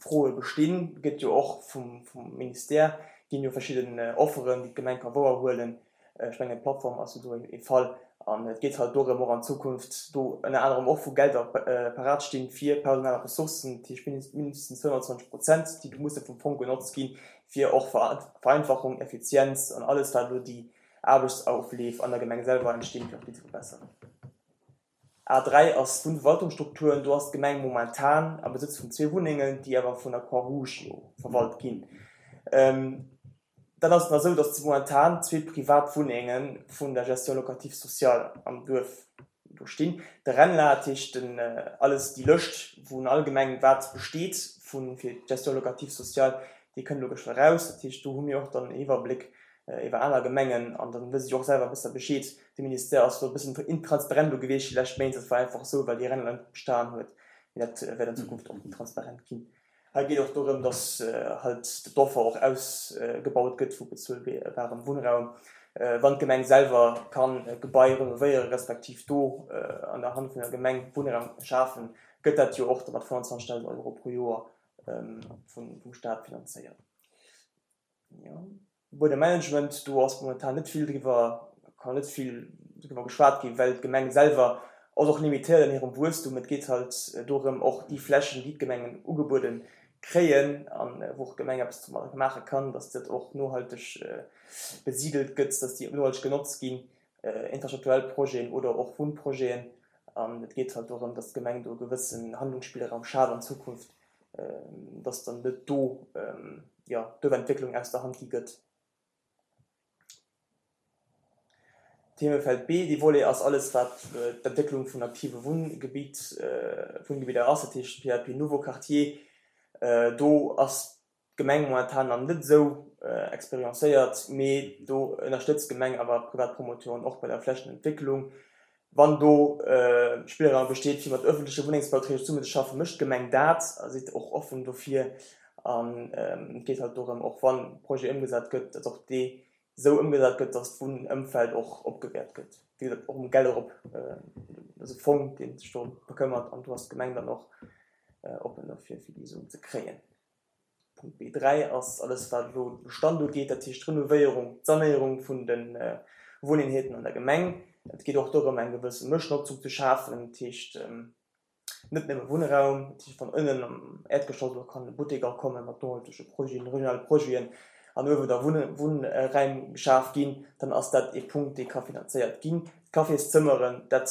Froe bestinn, gëtt jo och vum Ministère ginn jo verschidden Offeren, déi d'Gemeng ka wouerhuelen. Ech mengen, d'Plattform ass jo do ee Fall. An et geet halt dorëm, och an Zukunft do ënner anerem och, wou Gelder parat stinn, fir personell Ressourcen, dat heescht mindestens fënnwanzwanzeg Prozent, déi do musse vum Fong genotzt ginn, fir och Vereinfachung, Effizienz an alles, wat elo déi Aarbechtsaufleef an der Gemeng selwer entstinn, fir och déi ze verbesseren. A dräi ass d'Wunnverwaltungsstrukturen. Do ass d'Gemeng momentan am Besëtz vun zwee Wunnengen, déi awer vun der Croix-Rouge jo verwalt ginn. Dann ass et nach esou, datt momentan zwee privat Wunnenge vun der Gestion locative sociale am Duerf do stinn. De RENLA, dat heescht den, alles déi Lëscht wou allgemeng wat besteet vu fir d'Gestion locative sociale, déi kënnt elo geschwë eraus. Dat heescht, do hu mir och dann en Iwwerbléck iwwer aner Gemengen an dann wësse si och selwer besser Bescheed. De Ministère ass do e bëssen intransparent elo gewiescht déi lescht Méint. Dat war einfach esou, well déi RENLA net bestan huet. Mee dat wäert an Zukunft och méi transparent ginn. Hei geet och dorëm, dass halt d'Offer och ausgebaut gëtt vu bezuelbarem Wunnraum, wann d'Gemeng selwer kann e Gebai renovéiere respektiv do an der Hand vun der Gemeng Wunnraum schafen, gëtt dat jo och da mat fënnwanzwanzegdausend Euro pro Joer vum Staat finanzéiert. Buedemmanagement, do ass momentan net vill driwwer, kann net vill driwwer geschwat ginn, well d'Gemeng selwer ass och limitéiert an hirem Wuesstum. Et geet halt dorëm, och déi Flächen, déi d'Gemengen ugebuede kréien an wou och d'Gemeng eppes domadder maache kann, dass dat och nohalteg besidelt gëtt, dass déi nohalteg genotzt ginn, infrastrukturell Projeten oder och Wunnprojeten. An et geet halt dorëm, dass d'Gemeng do e gewëssen Handlungsspillraum schaaft an Zukunft, dass dann net do, jo, d'Duerfentwécklung aus der Hand gi gëtt. Themefeld B, dee Volet ass alles, wat d'Entwécklung vun aktive Wunngebitt, Wunngebidder ass, dat heescht P A P Nouveaux Quartiers. Do ass d'Gemeng momentan nach net esou experiencéiert, mee do ënnerstëtzt d'Gemeng awer privat Promoteuren och bei der Flächenentwécklung. Wann do Spillraum besteet, fir mat ëffentleche Wunnengsbauträger zesummenzeschaffen, mécht d'Gemeng dat a sidd och offen dofir. An et geet halt dorëm, och wann Projet ëmgesat gëtt, datt och dee esou ëmgesat gëtt, datt d'Wunnëmfeld och opgewäert gëtt. Wéi gesot, och um Gelder op, dat ass e Fong, dee sech dorëm bekëmmert, an do ass d'Gemeng dann och oppen dofir, fir déi Suen ze kréien. Punkt B dräi ass alles, wat elo de Bestand ugeet, dat heescht d'Renovéierung, d'Sanéierung vun de Wunneenheeten an der Gemeng. Et geet och dorëm, eng gewësse Mëschnotzung ze schafen, dat heescht net nëmme Wunnraum, dat heescht wann ënnen am Äerdgeschoss elo kann e Buttek kommen mat nohaltege Projeten, regionale Projeten, an uewen da Wunnräim geschaf ginn, dann ass dat ee Punkt, dee ka finanzéiert ginn. D'Cafészëmmeren, dat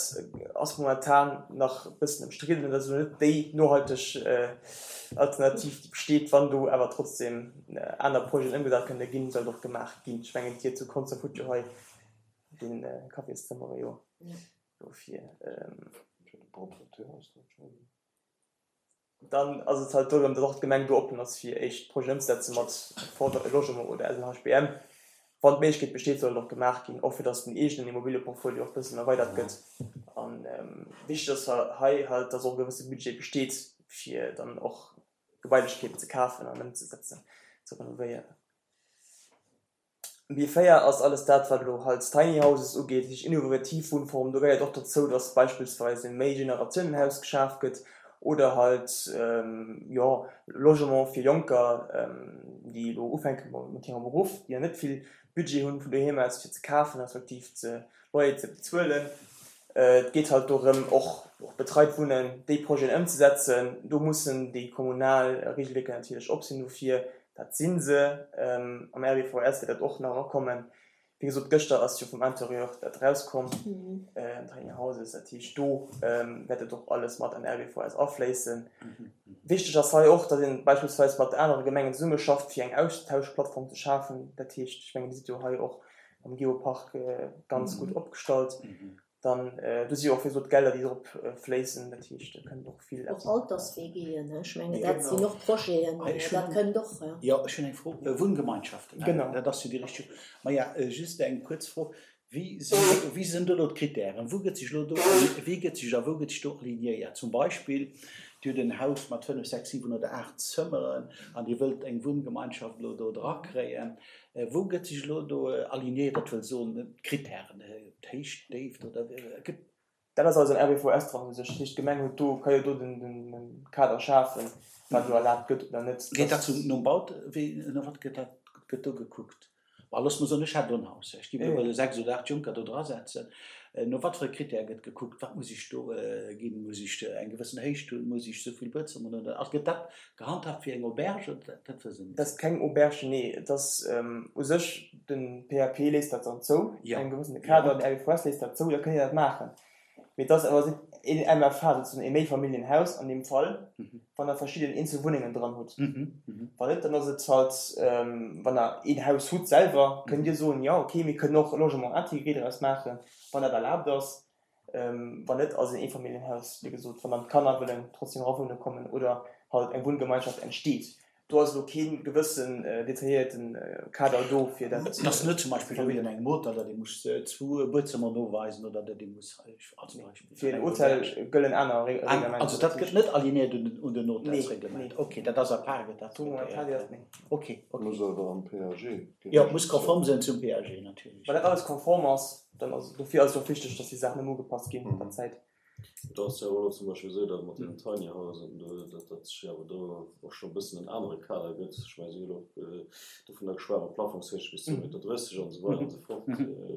ass momentan nach e bëssen ëmstridden, dat ass elo net déi nohalteg Alternativ, déi besteet. Wann do awer trotzdem aner Projeten ëmgesat kënne ginn, soll et och gemaach ginn. Ech mengen, Dir zu Konzer hutt jo hei de Cafészëmmere jo dofir. Dann ass et halt dorëm, datt och d'Gemeng do oppen ass, fir éischt Projeten ëmzesetze mat Fondre Logement oder S L H B M. Wann d'Méiglechkeet besteet, soll et och gemaach ginn, och fir datt den eegenen Immobilieportfolio och e bëssen erweidert gëtt. An wichteg ass hei halt, datt och e gewësse Budget besteet, fir dann och Gebailechkeeten ze kafen an ëmzesetzen, ze renovéieren. B véier ass alles dat, wat elo halt Tiny Houses ugeet, dat heescht innovativ Wunnformen. Do gehéiert och dozou, datt beispillsweis e Méi-Generatiounen-Haus geschaf gëtt oder halt, jo, Logement fir Jonker, déi elo ufänke mat hirem Beruff, déi ja net vill Budget hunn vun doheem aus fir ze kafen, respektiv ze Loyer ze bezuelen. Et geet halt dorëm, och betreit Wunnen, déi Projeten ëmzesetzen. Do mussen déi kommunal Regelwierker natierlech op sinn dofir. Dat si se. Am R B V S wäert dat och nach erakommen. Wéi gesot, gëschter ass jo vum Intérieur dat erauskomm, Tiny Houses. Dat heescht, do wäert dat och alles mat an R B V S afléissen. Wichteg ass hei och, datt ee beispillsweis mat anere Gemengen zesummeschafft, fir eng Austauschplattform ze schafen. Dat heescht, ech mengen, Dir sidd jo hei och am Geopark ganz gutt opgestallt. Dann do si jo och wéi gesot Gelder, déi drop fléissen. Dat heescht, do kënnt och vill. Och Alters-W Gen, ech mengen, dat sinn och Projeten, dat kënnt och. Jo, ech hunn eng Fro. Wunngemeinschaften, dat ass jo déi richteg. Maja, just eng kuerz Fro, Wéi sinn, wéi sinn do elo d'Kritären? Wou gëtt sech elo do, wéi gëtt sech a wou gëtt sech do alignéiert? Zum Beispill, Dir hutt en Haus mat fënnef, sechs, siwen oder aacht Zëmmeren an Dir wëllt eng Wunngemeinschaft elo do drakréien. Wou gëtt sech elo do alignéiert, dat wëll soen, d'Kritären, d'Héicht, d'Déift oder gëtt. Dat ass alles am R B V S dran u sech. Dat heescht, d'Gemeng huet do, ka jo do den Kader schafen, wat elo erlaabt gëtt oder net. Geet dat zum, nom Baut, wéi, no wat gëtt dat, gëtt do gekuckt? Bah, looss mer soen, ech hätt do en Haus, ech géif elo sechs oder aacht Jonker do drasetzen. No wat fir e Critère gëtt gekuckt? Wat muss ech do ginn? Muss ech eng gewëssen Héicht hunn? Muss ech esou vill Buedzëmmer hunn? Oder gëtt dat gehandhaabt wéi eng Auberge? Oder dat wësse mir Dat ass keng Auberge, nee. Et ass u sech, de P A P léisst dat dann zou, engem gewëssene Kader, den R B V S léisst dat zou, da kënnt Dir dat maachen. Mee et ass awer een M F H, souzesoen e Méifamilljenhaus an deem Fall, wann Der verschidden eenzel Wunnengen dran hutt. Wann net, dann ass et halt, wann Der een Haus hutt selwer, kënnt Dir soen, jo okay, mir kënnen och e Logement intégré draus maachen, wann dat erlaabt ass. Wann net, ass et en Eefamilljenhaus, wéi gesot, wann dann d'Kanner wëllen trotzdem era wunne kommen oder halt eng Wunngemeinschaft entsteet. Do ass elo kee gewëssen detailléierten Kader do, fir dat ze. Et ass net zum Beispill wéi an engem Hotel, datt ee muss zwou Buedzëmmer noweisen oder datt ee muss, als Beispill. Fir en Hotel gëllen aner Reglementer. Also dat gëtt net alignéiert un den Hotelsreglement. Ok, dat ass à part, gëtt dat traitéiert. Ok, ok. Muss awer am P A G. Jo, muss konform sinn zum P A G natierlech. Wann dat alles konform ass, dann ass et, dofir ass et och wichteg, datt déi Saachen ëmmer ugepasst ginn mat der Zäit. Et ass jo elo zum Beispill esou, datt mat deenen Tiny Housen do, datt dat sech awer do och scho e bëssen en anere Kader gëtt. Ech mengen, si hunn och dovunner geschwat mat Plafongshéicht bis zwee Meter drësseg an esou weider an esou fort.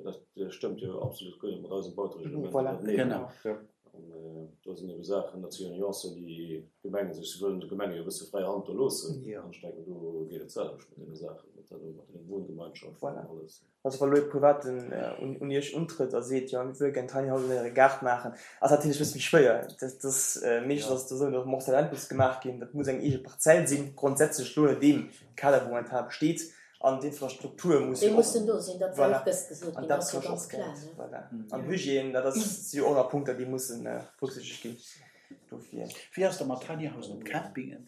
Dat stëmmt jo absolut guer net mat eisem Bautereglement iwwerteneen. An do sinn ebe Saachen, dat si jo Nuancen, déi d'Gemenge sech, si wëllen de Gemenge jo e bësse fräi Hand do loossen. An ech denken, do geet et d'selwecht mat deene Saachen, mat deene Wunngemeinschaften an alles. Also wa lo ee Privaten un Iech untrëtt a seet, jo mir wëlle gär en Tiny House an Äre Gaart maachen, ass dat natierlech e bësse méi schwéier. Dat ass meeschtens ass et esou, datt morcellement muss gemaach ginn, dat muss eng eege Parzell sinn, grondsätzlech elo no deem Kader wou momentan besteet, an d'Infrastruktur muss jo och, déi mussen do sinn, dat war och gëscht gesot ginn, dat ass jo ganz kloer, ne? Voilà. An Hygiène, dat ass, si jo och nach Punkter, déi mussen berücksichtegt ginn dofir. Wéi ass dat mat Tiny Housen op Campingen?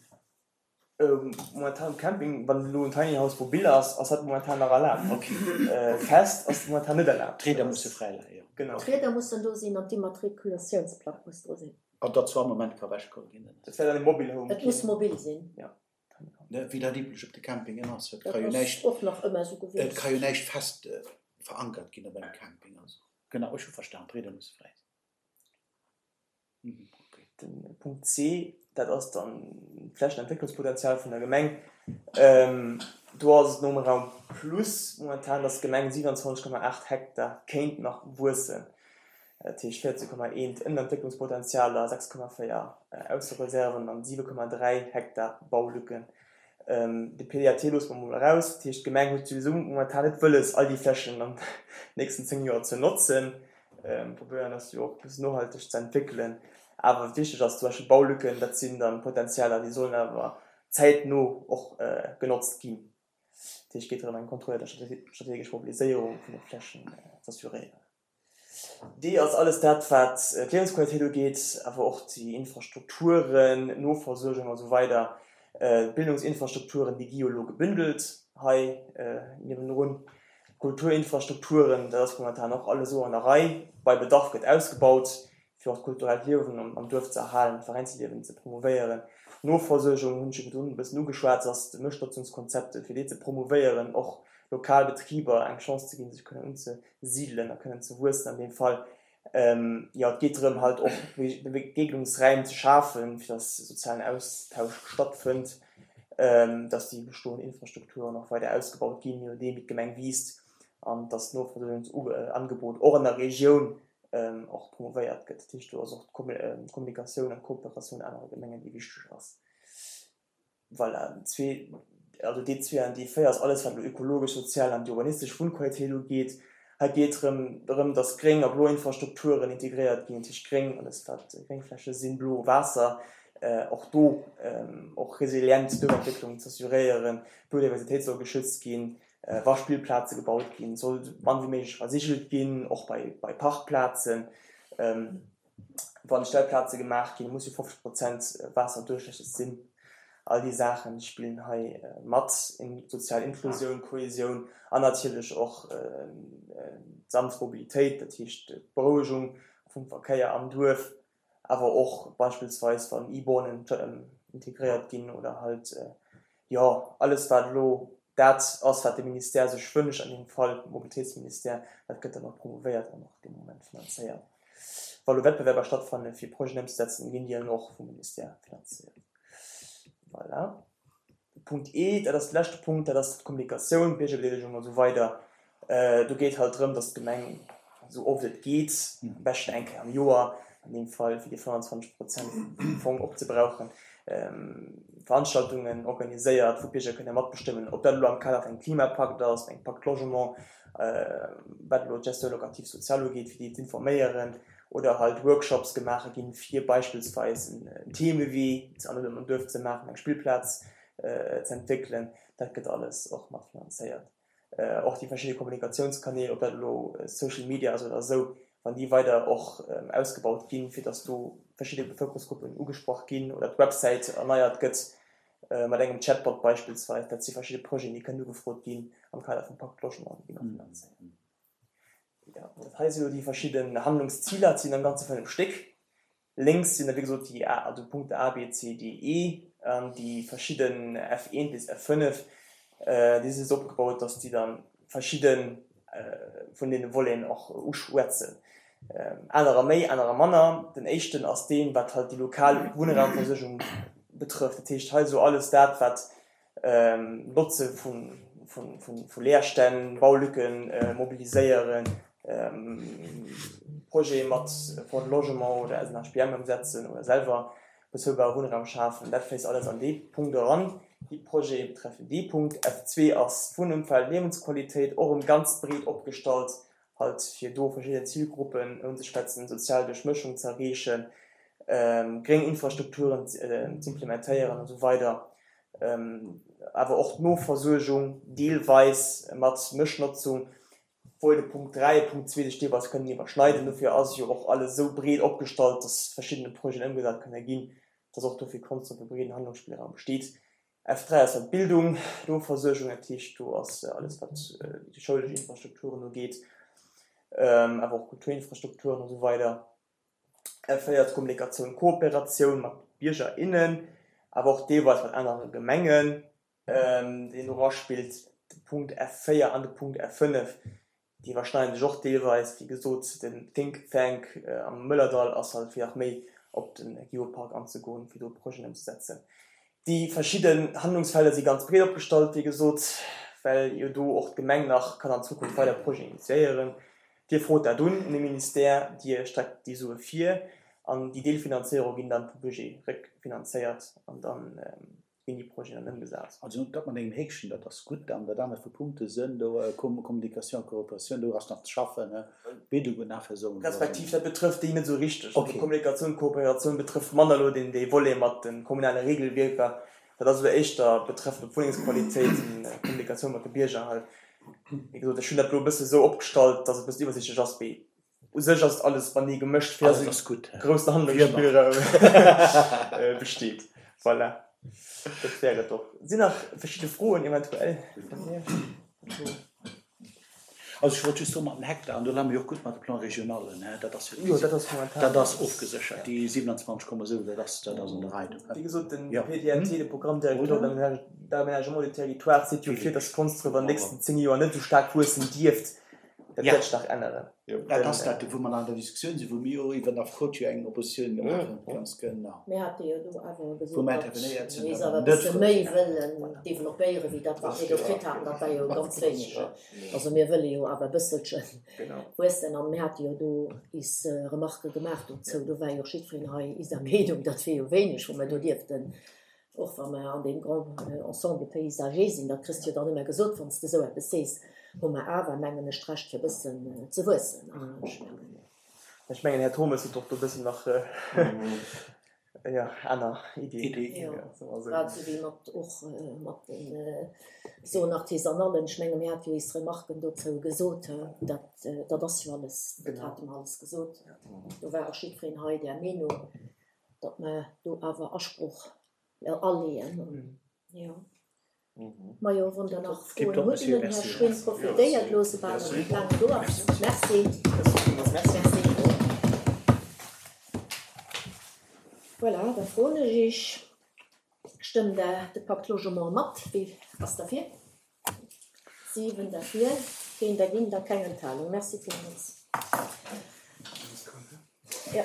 Momentan um Camping, wann elo en Tiny House mobil ass, ass dat momentan nach erlaabt. Fest ass momentan net erlaabt. D'Rieder musse fräi leien, jo. Genau. D'Rieder mussen do sinn an d'Immatrikulatiounsplack muss dru sinn. An datt zu all Moment ka ewechgeholl ginn. Dat wär dann e Mobile Home. Et muss mobil sinn. Jo. Wéi dat üblech op de Campingen ass. Et Dat ka jo ass näischt, och nach ëmmer esou et gewiescht. ka jo näischt fest verankert ginn op engem Camping. Also, genau, ech hu verstan, d'Rieder musse fräi sinn. Den Punkt C, dat ass dann d'Flächenentwécklungspotenzial vun der Gemeng. Do ass et nom Raum Plus momentan, dass d'Gemeng siwenundzwanzeg Komma aacht Hektar kéint nach wuessen. Dat heescht véierzeg Komma eent Ënnerentwécklungspotenzial a sechs Komma véier Aussereserven an siwe Komma dräi Hektar Baulücken. De P D A T loosse mer emol eraus. Dat heescht, d'Gemeng huet souwisou momentan net wëlles, all déi Flächen an den nächsten zéng Joer ze notzen. Probéieren ass jo och e bëssen nohalteg ze entwéckelen. Awer wichteg ass zum Beispill Baulücken, dat sinn dann Potenzialer, déi sollen awer zäitno och genotzt ginn. Dat heescht, et geet drëm, eng kontrolléiert a strategesch Mobiliséierung vun de Flächen z'assuréieren. Déi ass alles dat, wat d'Liewensqualitéit ugeet, awer och déi Infrastrukturen, Noversuergung a sou weider. D'Bildungsinfrastrukturen, déi gi jo elo gebündelt hei niewendrun. D'Kulturinfrastrukturen, dat ass momentan och alles esou an der Rei. Bei Bedarf gëtt ausgebaut, fir och d'kulturellt Liewen am Duerf ze erhalen, d'Veräinsliewen ze promouvéieren. D'Noversuergung hunn ech jo virdrun e bëssen ugeschwat, ass de Mëschnotzungskonzepte, fir déi ze promouvéieren, och lokal Betriber eng Chance ze ginn, sech kënnen unzesidelen a kënnen ze wuessen an deem Fall. Jo, et geet drëm, halt och Begegnungsräim ze schafen, fir dass sozialen Austausch stattfënnt, dass déi bestoend Infrastrukturen och weider ausgebaut ginn, je nodeem wéi d'Gemeng wiisst, an dass d'Noversuergungsangebot och an der Regioun och promovéiert gëtt. Dat heescht, do ass och d'Kommunikatioun an d'Kooperatioun anere Gemengen, déi wichteg ass. Voilà, zwee, also D zwee an D véier ass alles, wat elo ökologesch, sozial an déi urbanistesch Wunnqualitéit ugeet. Hei geet et erëm drëm, dass gréng a blo Infrastrukturen integréiert ginn, dat heescht gréng, alles wat Gréngfläche sinn, blo Waasser, och do och resilient Duerfentwécklung z'assuréieren, d'Biodiversitéit soll geschützt ginn, wa Spillplaze gebaut ginn, soll esou mann wéi méiglech versigelt ginn, och bei bei Parkplazen. Wann Stellplaze gemaach ginn, muss jo fofzeg Prozent waasserduerchlässeg sinn. All déi Saachen spillen hei mat, sozial Inklusioun, Kohesioun an natierlech och d'sanft Mobilitéit, dat heescht d'Berouegung vum Verkéier am Duerf, awer och beispillsweis wann E-Bornen integréiert ginn oder halt, jo, alles wat elo dat ass, wat de Ministère sech wënscht, an deem Fall de Mobilitéitsministère, dat gëtt dann och promouvéiert an och dee Moment finanzéiert. Wa lo Wettbewerber stattfannen, fir Projeten ëmzesetzen, ginn déi dann och vum Ministère finanzéiert. Voilà. Punkt E, dat ass de leschte Punkt, dat ass d'Kommunikatioun, d'Biergerbedeelegung a sou weider. Do geet halt drëm, datt d'Gemeng esou oft et geet, am beschten eng Kéier am Joer, an deem Fall fir déi fënnwanzwanzeg Prozent vum Fong opzebrauchen, Veranstaltungen organiséiert, wou d'Bierger kënne matbestëmmen, ob dat elo am Kader vun engem Klimapakt ass, engem Pacte Logement, wat elo d'Gestion locative sociale ugeet, fir déi z'informéieren, oder halt Workshops gemaache ginn, fir beispillsweis en Themewee am Duerf ze maachen, eng Spillplaz z'entwéckelen. Dat gëtt alles och matfinanzéiert. Och déi verschidde Kommunikatiounskanäl, ob dat elo Social Media ass oder esou, wann déi weider och ausgebaut ginn, fir datt do verschidde Bevëlkerungsgruppen ugesprach ginn oder d'Websäit erneiert gëtt mat engem Chatbot beispillsweis, dat si verschidde Projeten, déi kënnen ugefrot ginn am Kader vum Pacte Logement, déi gi mer finanzéiert. Jo, dat hei si elo déi verschidden Handlungsziler, et sinn am Ganze fënnef Stéck. Lénks sinn da wéi gesot déi A, also Punkte A, B, C, D, E an déi verschidden F eent bis F fënnef, déi si esou opgebaut, dass déi da verschidde vun deene Voleten och uschwätzen. Anerer méi, anerer manner. Den éischten ass deen, wat halt déi lokal Wunnraumversuergung betrëfft. Dat heescht hei esou alles dat, wat Notze vu Leerstänn, Baulücken mobiliséieren, Projete mat Fonds de Logement oder S N H P M ëmsetzen oder selwer bezuelbare Wunnraum schafen. Dat fléisst alles an dee Punkt eran. Déi Projete betreffen dee Punkt. F zwee ass d'Wunnëmfeld, Liewensqualitéit, och erëm ganz breet opgestallt, halt fir do verschidden Zilgruppen unzeschwätzen, sozial Duerchmëschung ze erreechen, gréng Infrastrukturen z'implementéieren an esou weider. Awer och d'Noversuergung deelweis mat Mëschnotzung, obwuel de Punkt dräi a Punkt zwee sech deelweis kënnen iwwerschneiden. Dofir ass jo och alles esou breet opgestallt, dass verschiddene Projeten ëmgesat kënne ginn, dass och dofir konstant e breeden Handlungsspillraum besteet. F dräi ass dann d'Bildung, d'Noversuergung, dat heescht do ass alles wat déi schoulesch Infrastrukturen ugeet, awer och Kulturinfrastrukturen a sou weider. F véier ass Kommunikatioun, Kooperatioun mat Bierger, innen, awer och deelweis mat anere Gemengen, deen do eraspillt. De Punkt F véier an de Punkt F fënnef, déi iwwerschneiden sech och deelweis. Wéi gesot, den Think Thank am Mëllerdall ass halt fir nach méi op de Geopark anzegoen, fir do Projeten ëmzesetzen. Déi verschidden Handlungsfelder si ganz breet opgestallt, wéi gesot, well jo do och d'Gemeng nach kann an Zukunft weider Projeten initiéieren. Dir frot dat un un de Ministère, Dir streckt déi Sue vir an déi Deelfinanzéierung ginn dann vum Budget réckfinanzéiert an dann ginn déi Projeten dann ëmgesat. Also dat mat engem Häkchen, dat ass gutt. An dat anert vu Punkte sënn, do Communication, Kooperatioun, do ass nach ze schaffen, Bildung und Nachversorgung. Respektiv dat betrëfft déi net esou richteg. Also Kommunikatioun, Kooperatioun betrëfft manner elo deen dee Volet mat de kommunale Regelwierker. Dat ass elo éischter betrëfft op d'Wunnengsqualitéit, Kommunikatioun mat de Bierger halt. Wéi gesot, ech hunn dat elo e bësse esou opgestallt, datt et e bëssen iwwersiichtlech ass, mee u sech ass et alles matenee gemëscht, fir datt e groussen Handlungsspillraum besteet. Voilà, dat wär et och. Sinn nach verschidde Froen eventuell vun Iech? Also ech wollt just soen, mat den Hektar, an do laa mir jo och gutt mat de Plan-régionalen, hä, dat ass jo, Jo, dat ass momentan. dat ass ofgeséchert, déi siewenundzwanzeg Komma sou, dat ass, dat ass an der Rei do. Wéi gesot, den Jo. P D A T, de Programme directeur d'aménagement du territoire, seet jo vir, dass Konsdref an den nächsten zéng Joer net esou staark wuessen dierft. Dat Ja. wäert sech nach änneren. Dat ass dat, wou mer an der Diskussioun sinn, wou mir jo iwwer nach Coach jo eng Oppositioun gemaach hunn. Ganz genau. Mir hate jo do awer gesot, Wou mer datt intervenéiert sinn, mir datt awer e mer net bësse méi wëllen. wëllen developpéieren, wéi dat, wat mir do kritt haten. Dat war jo ganz wéineg. Also mir wëlle jo awer e bësselche wuessen. An mir hate jo do is Remarquë gemaach dozou. Do war jo och jiddwereen hei iser Meenung, dat wier jo wéineg, wou mer do dierften, och wa mer an deem Grand Ensemble paysager sinn, dat kriss de jo dann ëmmer gesot, wann s de esou eppes sees, hu mer awer, mengen ech, d'Recht fir e bëssen ze wuessen. An ech mengen. Ech mengen, Här Turmes huet och do e bëssen nach, jo, aner Iddien. Jo, grad esou wéi mat och mat den Zones artisanales. Ech menge mir hate jo is Remarken dozou gesot, dat, dat ass jo alles, dat hate mer alles gesot. Do war och jiddwereen hei där Meenung, datt mer do awer Asproch aleeën. Jo. Majo, wann Der nach Froen hutt un den Här Schwinn, profitéiert elo, soubal en net laang do ass. Merci. Merci. Voilà, da froen ech Iech, Stëmmt Der de Pacte Logement mat? Wie ass derfir? Siwen derfir, keen dergéint a keng Enthalung. Merci villmools. Jo.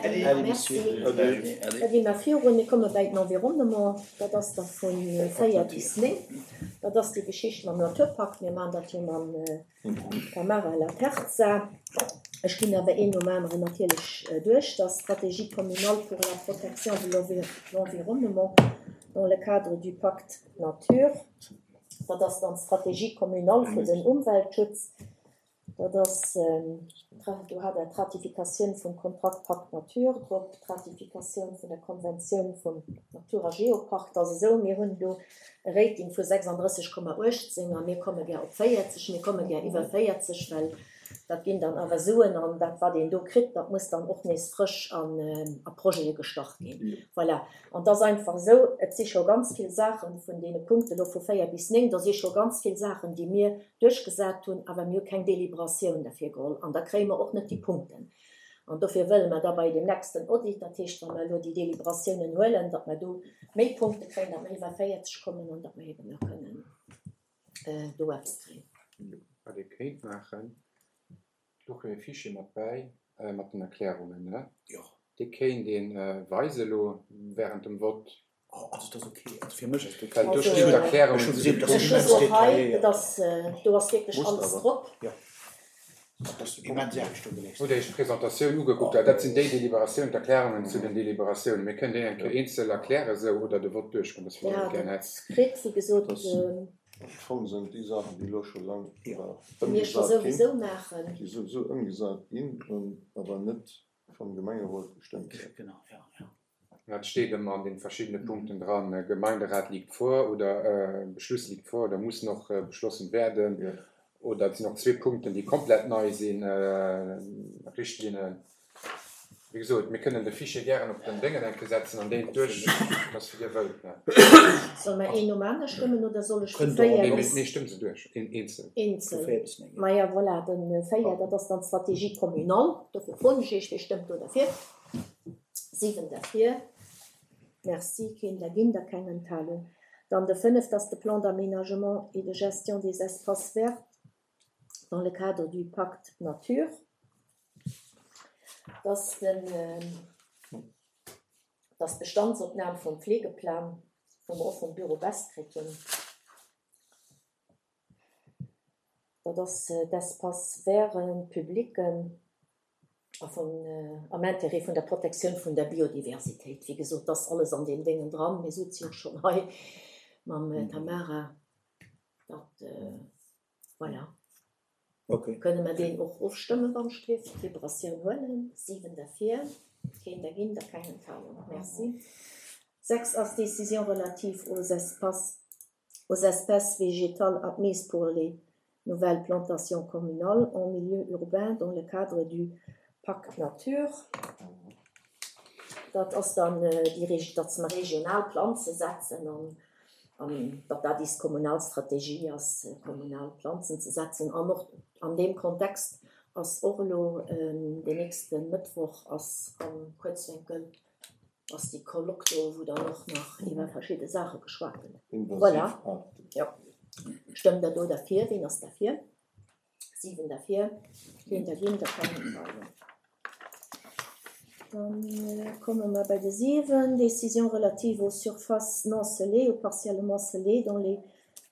Äddi, merci. Da gi mer virun. Mir komme bäi den Environnement. Dat ass da vu véier bis néng. Dat ass déi Geschicht mam Naturpark. Mir maachen dat jo mam Tamara Laterza. Ech ginn awer een nom aneren natierlech duerch. Dat ass d'Stratégie communale pour la protection de l'environnement dans le cadre du Pacte nature. Dat ass dann d'Stratégie communale fir den Umweltschutz. Dat ass, do hat Der d'Ratifikatioun vum Kontrakt Pacte nature drop, d'Ratifikatioun vun der Konventioun vum Natur a Geopark. Dat ass esou, mir hunn do e Rating vu sechsanddrësseg Komma uechtzéng a mir komme gär op véierzeg, mir komme gär iwwer véierzeg, well dat ginn dann awer Suen an dat, wat een do kritt, dat muss dann och nees frësch an a Projete gestach ginn. Voilà. An et ass einfach esou, et si scho ganz vill Saachen vun deene Punkten elo vu véier bis néng, do si scho ganz vill Saachen, déi mir duerchgesat hunn, awer mir hu keng Deliberatioun derfir geholl an da kréie mer och net déi Punkten. An dofir wëlle mer da bei dem nächsten Audit, dat heescht, wa mer elo déi Deliberatiounen huelen, datt mer do méi Punkte kréien, datt mer iwwer véierzeg kommen an datt mer eben da kënnen do eppes kréien. Wat ee kéint maachen, do kréie mir e Fichier mat bäi, mat den Erklärungen, ne? Jo. Dee kéint ee weise elo während dem Vott. Oh, also dat ass okay. Also fir mech ass dat okay. Well do stinn d'Erklärungen Ech hu zu gesinn, de dass Ech hu immens se och hei, detailléiert. et ass, do ass wierklech Muss alles awer. drop. Jo. Dat ass immens Aarbecht do geleescht. Hutt Dir Iech d'Presentatioun ugekuckt? Well dat sinn déi Deliberatiounen, d'Erklärungen zu den Deliberatiounen. Mir kënnen déi eng Kéier eenzel erklären esou oder de Vott duerchgoen, dat wéi Ja, Dir gär dat hätt. kritt, wéi gesot, Das Am Fong sinn déi Saachen, déi elo scho laang déi mir scho ëmgesat ginn, souwisou maachen. déi souwisou ëmgesat ginn, awer net vum Gemengerot gestëmmt ginn. Genau, ja, ja. Dat steet ëmmer an den verschiddene Punkten dran. Gemeinderat liegt vor oder Beschluss liegt vor oder muss noch beschlossen werden. Ja. Oder et sinn och zwee Punkten, déi komplett nei sinn, Richtlinnen. Wéi gesot, mir kënnen de Fichier gären op den Déngen eng Kéier setzen an deen duerch, dass wéi Dir wëllt. Solle mer een nom anere stëmmen oder soll ech vu Kënnt Der véier Nee, och. bis nee, stëmmt se duerch, een eenzel. Vu eenzel? véier bis néng, ja. Maja, voilà, den véier, dat ass dann d'Stratégie communale. Dofir froen ech Iech, wie stëmmt do derfir? Siwen derfir. Merci, keen dergéint a keng Enthalung. Dann de fënnef, dat ass de Plan d'aménagement et de gestion des espaces verts dans le cadre du Pacte nature. Dat ass den, dat ass d'Bestandsopnam vum Pflegeplan, wou mer och vum Büro Best kritt hunn. Dat ass d'Espaces verts publics a vun, am Intérêt vun der Protektioun vun der Biodiversitéit. Wéi gesot, dat ass alles an deem Déngen dran. Mir souze jo schonn hei mam Tamara. Dat, voilà. Okay. Kënne mer deen och ofstëmmen, wann ech dierf? Deliberatioun huelen. Siwen derfir, keen dergéint a keng Enthalung. Merci. Sechs ass Décision relative aux espaces, aux espèces végétales admises pour les nouvelles plantations communales en milieu urbain dans le cadre du Pacte Nature. Dat ass dann déi, datt mer regional Planze setzen an, an datt dat is kommunal Strategie ass, kommunal Planzen ze setzen. An och an deem Kontext ass och elo den nächste Mëttwoch ass am Kuerzwénkel ass déi Colloque do, wou dann och nach iwwer verschidde Saache geschwat gëtt. Voilà. Jo. Stëmmt Der do derfir? Wien ass derfir? Siwen derfir, keen dergéint a keng Enthalung. Dann komme mer bei de siwen, Décision relative aux surfaces non scellées ou partiellement scellées dans les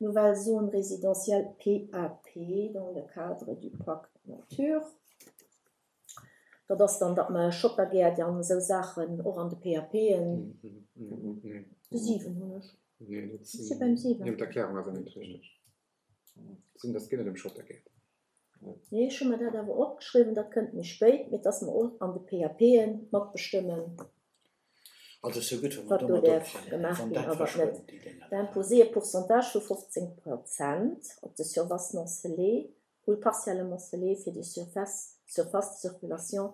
nouvelles zones résidentielles PAP dans le cadre du Pacte Nature. Dat ass dann, datt mer Schottergäert an esou Saachen och an de PAPen. De siwen hunn ech. Nee, dat Ech si beim siwen. Nee, d'Erklärung ass awer net richteg. Sinn, dat geet net ëm Schottergäert. Nee, ech hu mer dat awer opgeschriwwen, dat kënnt méi spéit, mee dass mer och an de PAPen matbestëmmen, Also ass jo gutt, wa mer wat do domat däerf ophalen, gemaach wann ginn dat a wat net. verschwënnt, déi Dénger. D'imposer e Pourcentage vu fofzéng Prozent op de Surfaces non scellées ou partiellement scellées fir déi Surfaces, surfaces de circulation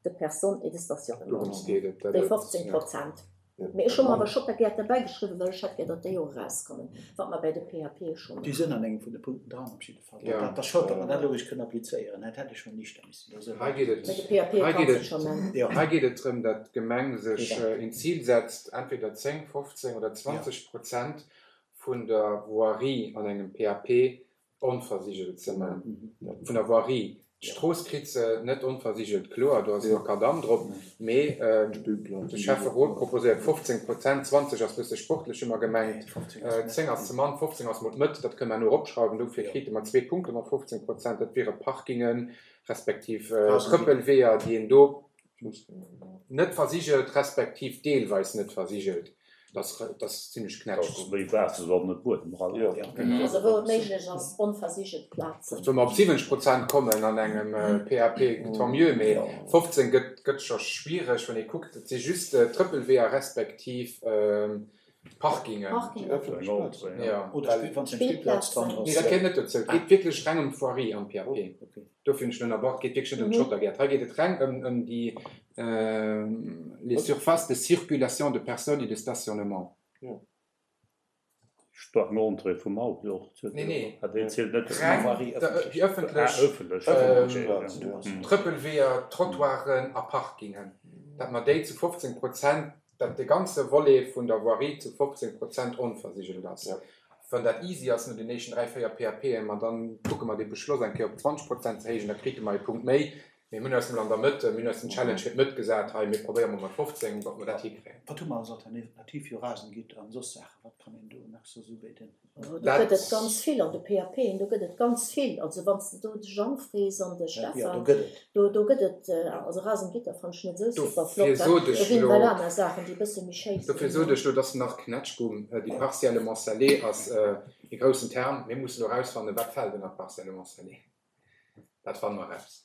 de personnes et de stationnement. Dorëms geet et, dat Déi et, fofzéng ja. Prozent. Mee ech hu mer awer Schottergäert derbäi geschriwwen, well ech hätt gär, datt déi och erauskommen, wat mer bäi de PAPe scho Déi maachen. sinn an engem vun de Punkten dran op jidde Fall. Ja. Dat ass schued, datt mer dat elo eréischt kënnen applizéieren. Dat hätt ech schonn éischter missen do soen. Hei geet et, Bei de PAPe hei kanns geet de et, scho man. Ja. hei geet et drëm, datt d'Gemeng sech Eben. een Zil setzt, entweder zéng, fofzéng oder Ja. zwanzeg Prozent vun der Voirie an engem PAP onversigelt ze man. Mhm. Vun der Voirie. Ja. D'Strooss kritt se net onversigelt, kloer, do ass Ja. Makadamm drop, mee de Schäfferot proposéiert fofzéng Prozent, zwanzeg ass bësse sportlech ëmmer gemengt, Nee, fofzéng ass net. zéng ass ze mann, fofzéng ass mol d'Mëtt, dat kënne mer elo eropschrauwen, dofir Ja. krite mer zwee Punkte mat fofzéng Prozent, dat wiere Parkingen, respektiv Rasengebitt. Trëppelweeër, déi een do net versigelt, respektiv deelweis net versigelt. Dat ass, dat ass zimmlech Dat ass knätschgutt. méi Waasser wéi net Buedem ran. Ja. Ja. Genau. Also wou et méiglech ass, onversigelt Plazen. Wa mer op siwwenzeg Prozent kommen an engem PAP, tant mieux, mee Ja. fofzéng gëtt, gëtt scho schwiereg, wann ee kuckt, et si just Trëppelweeër respektiv Parkingen. Parkingen. Déi ëffentlech Eng Plazen. Entrée, ja. Ja, Oder well Spill, wann es eng Spillplaz dran Nee, ass. dat geet net dozou. Et Ah. geet wierklech reng ëm d'Voirie am PAP. Okay. Dofir hunn ech ënnerbrach, et geet wierklech net ëm Mhm. d'Schottergäert. Hei geet et reng ëm, ëm déi les surfaces de circulation de personnes et de stationnement. Stark Entrée vum Auto och. Nee, nee. Ah, déi zielt net. Reng Voirie déi ëffentlech. ëffentlech Ah, ëffentlech. ähm, Okay, Plazen, ja. ja. Mhm. Trëppelweeër, Trottoiren a Parkingen. Dat mer déi zu fofzéng Prozent, dat de ganze Volet vun der Voirie zu fofzéng Prozent onversigelt ass. Ja. Wann dat easy ass no den nächsten dräi, véier PAPen, ma dann kucke mer de Beschloss eng Kéier op zwanzeg Prozent ze héijen, da krite mer e Punkt méi. Mir hunn eis mol an der Mëtt, mir hunn eis den Challenge fir d'Mëtt gesat, hei, mir probéiere mol mat fofzéng, ob mer dat hikréien. Wat hu mer als Alternativ jo Rasengitter an soss Saachen? Wat kann een do nach so so bei den? Do Dat gëtt et ganz vill an de PAPen, do gëtt et ganz vill. Also wann s de do de Jean frees an de Ja, do Stefan, gëtt et. do, do gëtt et, also Rasengitter fand ech net esou super Dofir flott. sot Do ech ginn lo, well aner Saachen, déi bësse méi schéi dofir sinn. sot ech lo, dass nach Knätschgumm, déi partiellement scellé ass e groussen Term. Mir mussen lo rausfannen, wat fält ënner partiellement scellé. Dat fanne mer raus.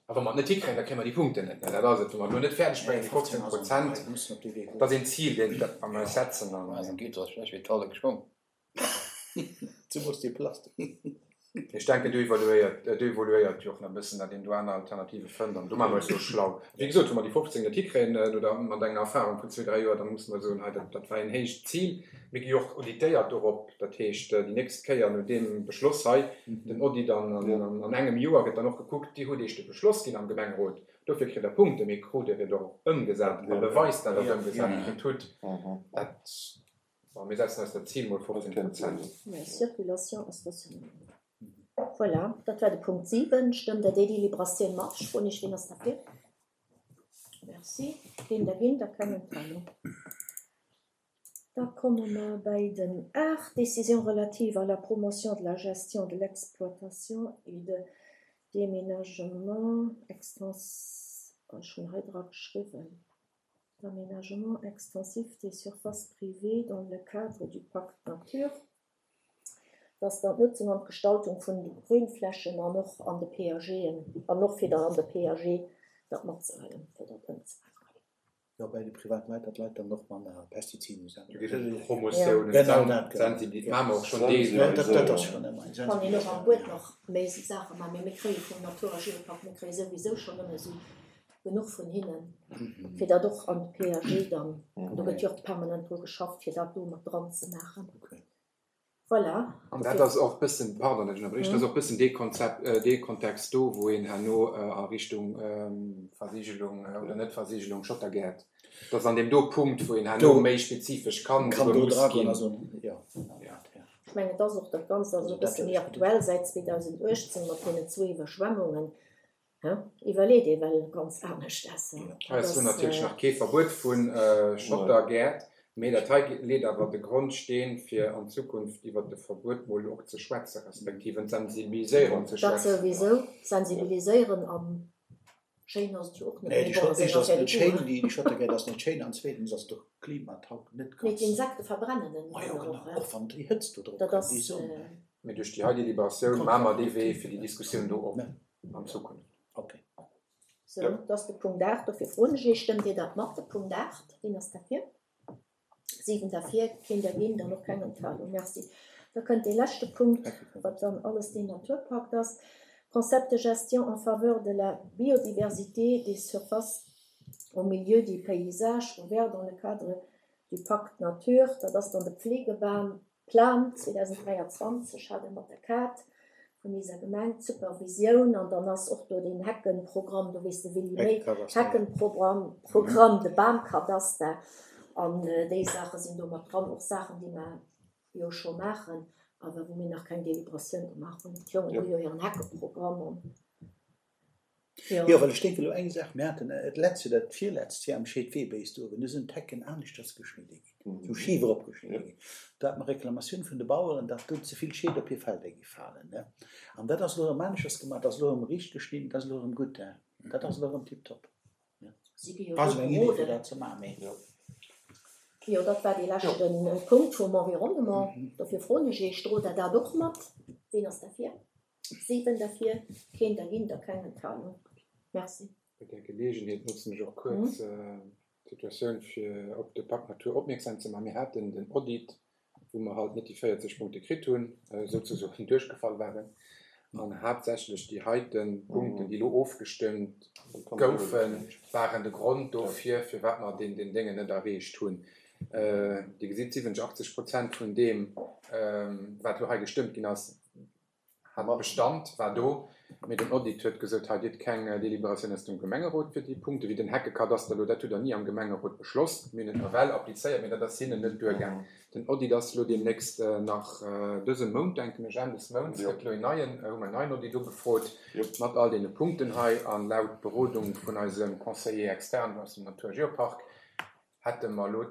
A wa mer et net hikréien, da kréie mer déi Punkten net. Dat ass et, wa mer lo net fäerdeg bréngen, déi fofzéng Prozent, Wir müssen op de Wee dat ass een Zil, deen dat mer eis setzen. An Rasengitter ass schlecht wéi d'Halle geschwommen. Zemools déi Plastik. Ech denken, do evoluéiert, do evoluéiert jo och nach e bëssen, datt een do aner Alternative fënnt. An do maache mer eis jo schlau. Wéi gesot, wa mer déi fofzéng net hikréien, oder mat enger Erfahrung vun zwee, dräi Joer, da musse mer soen, hei, dat, dat war een héicht Zil. Mir gi jo och auditéiert dorop. Dat heescht, déi nächst Kéier no deem Beschloss hei, den Audit an, an, an, an engem Joer gëtt dann och gekuckt, Dir hutt iech de Beschloss ginn am Gemengerot. Dofir kritt der Punkte, mee krut Dir et och ëmgesat a Ja. beweist, dat Der et Ja. ëmgesat Ja. kritt hutt. Mhm. Dat, bon, mir setzen eis dat Zil mol fofzéng Prozent. Ja, Circulation a Stationnement. Voilà, dat war de Punkt siwen. Stëmmt der déi Deliberatioun mat? Froen ech, wien ass derfir? Merci. Keen dergéint a keng Enthalung. Da komme mer bei den aacht. Décision relative à la promotion de la gestion de l'exploitation et de déménagement extens oh, ech hunn hei dra geschriwwen. D'aménagement extensif des surfaces privées dans le cadre du Pacte Nature. Dass dann d'Nutzung an d'Gestaltung vun de Grünflächen an och an de P A Gen, an och fir dann an de P A G dat matzehuelen, fir dat ëmzemaachen. Jo, bei de privaten Leit, datt d'Leit dann och manner Pestiziden Do geet et ëm Promotioun, ëm Sensibiliséierung, maache mer och schonn Deelweis. Dat, dat ass schonn ëmmer eng Kann een och am Buet nach méi Saache maachen, mee mir kréie vum Natur a Geopark, mir kréie souwisou schonn ëmmer esou genuch vun hinnen, fir dat och an de PAG dann, do gëtt jo och permanent dru geschafft, fir dat do mat dran ze maachen. Voilà. An dat ass och bëssen, pardon, datt ech ënnerbriechen, dat ass och bëssen dee Konzept, dee Kontext do, wou een herno a Richtung Versigelung oder Net-Versigelung Schottergäert, dat ass an deem do Punkt, wou een herno méi spezifesch kann Kann souguer do muss dragoen ginn. a soen, jo, genau dat, jo. Ech mengen, et ass och dat Ganzt ass e bësse méi aktuell säit zweedausenduechtzéng mat deenen zwou Iwwerschwemmungen. Iwwerleet ee well ganz anescht ass. Hei ass elo natierlech nach kee Verbuet vu Schottergäert, mee dat hei leet awer de Grondsteen, fir an Zukunft iwwert de Verbuet mol och ze schwätzen, respektiv ëm d'Sensibiliséierung ze Dat schwätzen. souwisou, sensibiliséieren a schéin ass et jo och net, Nee, mee déi bon, ass eng Schott, éischt ass Affaire net de schéin, goût. déi Schottergäert ass net schéin an zweetens ass et och klimataug net Mee ganz. d'Insekte verbrennen en Ma jo, dann genau, och, och wann déi Hëtzt do drop Dat kënnt, ass. déi Sonn. Mee duerch déi hei Deliberatioun maache mer dee Wee fir déi Diskussioun do op an Zukunft. Okay. Sou, dat ass de Punkt aacht. Dofir froen ech Iech, Stëmmt Dir dat mat, de Punkt aacht? Wien ass derfir? Siwen derfir, keen dergéint an och keng Enthalung. Merci. Da kënnt dee leschte Punkt, wat dann alles deen Naturpakt ass, Concept de gestion en faveur de la biodiversité des surfaces au milieu du paysage ouvert dans le cadre du Pacte nature. Dat ass dann de Pflegebam Plan zweedausenddräianzwanzeg, hat e mat der Kaart vun iser Gemeng, d'Supervisioun, an dann ass och do deen Heckenprogramm, do weess de Willy méi, Heckenprogramm, Programm, de Bamkadaster, an déi Saache sinn do mat dran, och Saachen, déi mer jo scho maachen, awer wou mir nach keng Deliberatioun gemaach hunn. D'Jongen hu jo hiren Heckeprogramm an jo. Jo, well ech denken elo eng Saach, mir haten et letzt oder d'virletzt Joer am Scheedweebéis do uewen, do sinn d'Hecken aneschters geschnidde ginn, sou schif eropgeschnidde ginn. Do hate mer Reklamatioun vun de Baueren, datt do ze vill Scheed op hir Felder gi falen, ne. An dat ass elo erëm aneschters gemaach, dat ass elo erëm riicht geschnidden, dat ass elo erëm gutt, hein. Dat ass elo erëm tiptop, ne. Si gi jo War do esou eng Idee, fir beroden. dat ze maachen, mee. Jo, dat war dee leschte Punkt vum Environnement. Dofir froen ech Iech, drot Der dat och mat? Wien ass derfir? Siwen derfir, keen dergéint a keng Enthalung. Merci. Bei där Geleegenheet notzen ech och kuerz d'Situatioun, fir op de Pacte Nature opmierksam ze maachen. Mir haten den Audit, wou mer halt net déi véierzeg Punkte kritt hunn, souzesoen duerchgefall waren, an haaptsächlech déi heiten Punkten, déi elo ofgestëmmt goufen, waren de Grond dofir, firwat mer deen deen Déngen net erreecht hunn. Dir gesitt, siwwenzeg, achtzeg Prozent vun deem, wat elo hei gestëmmt ginn ass, hat Bestand, war do. Mee den Audit huet gesot, hei, Dir hutt keng Deliberatioun aus dem Gemengerot fir déi Punkte wéi den Heckekadaster elo, dat hutt Der ni am Gemengerot beschloss. Mir hunn et nawell applizéiert, mee dat ass hinnen net duergaang. Den Audit ass elo deemnächst nach dëse Mount, denken ech, Enn des Mounts gëtt elo een neien, hu mer en neien Audit ugefrot mat all deene Punkten hei. An laut Berodung vun eisem Conseiller externe aus dem Natur a Geopark hätte mer elo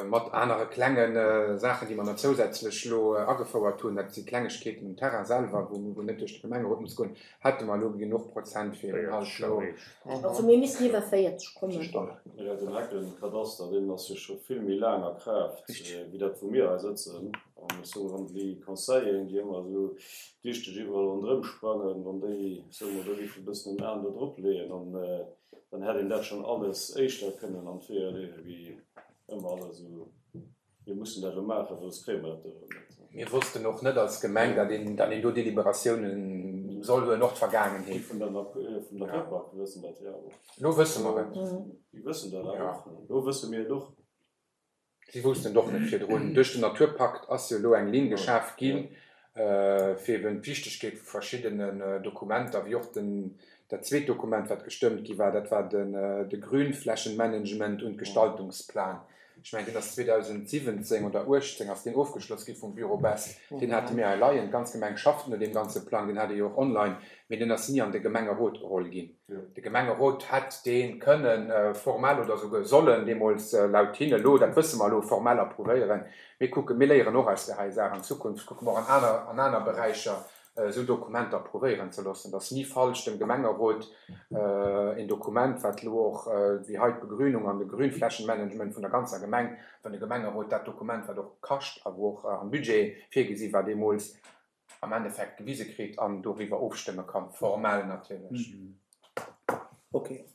mat anere klenge Saachen, déi mer nach zousätzlech elo agefouert hunn, dat si Klengegkeeten um Terrain selwer, wou wou net duerch de Gemengerot muss goen, hätte mer elo genuch Prozent fir eben halt elo. Also mir missten iwwer véierzeg kommen. Jo, den Heckenkadaster, deen ass jo scho vill méi laang a Kraaft, wéi dat wou mir hei sëtzen. An ech soen, wann déi Conseilleren, déi ëmmer esou dichteg iwwerall ronderëm sprangen, wann déi, soe mer, do géife e bëssen en Aen do drop leeën, dann dann hätt een dat schonn alles éischter kënnen an d'Weeër leeën, wéi ëmmer alles esou, mir mussen dat elo maachen, well soss kréie mer dat do erëm net. Mir wossten och net als Gemeng, datt een, datt een do Deliberatiounen soll huelen, och d'Vergaangenheet. Déi vun der vun der Naturpark wëssen dat jo och. Elo wësse mer et. Déi wëssen dat awer och. Elo wësse mir et och. Si woussten et och net virdrun. Duerch den Naturpakt ass jo elo eng Linn geschaf ginn, fir eben d'Wichtegkeet vu verschiddenen Dokumenter, wéi och den, dat zweet Dokument, wat gestëmmt gi war, dat war den, de Grünflächenmanagement und Gestaltungsplan. Ech mengen, deen ass zweedausendsiwwenzéng oder uechtzéng ass deen ofgeschloss gi vum Büro Best. Deen hate mir hei leien. D'ganz Gemeng schafft no deem ganze Plang, deen hat ee jo och online, mee deen ass ni an de Gemengerot geholl ginn. De Gemengerot hätt dee kënnen formell oder souguer sollen deemools laut hinne elo, dat wësse mer elo, formell approuvéieren. Mir kucken, mir léieren och aus där hei Saach. An Zukunft kucke mer och an aner, an aner Beräicher esou Dokumenter approuvéieren ze loossen. Dat ass ni falsch, dem Gemengerot een Dokument, wat elo och wéi hei d'Begrünung an de Grünflächenmanagement vun der ganzer Gemeng, wann de Gemengerot dat Dokument, wat och kascht a wou och am Budget virgesi war deemools, am Endeffekt gewise kritt an doriwwer ofstëmme kann, formell natierlech. Okay.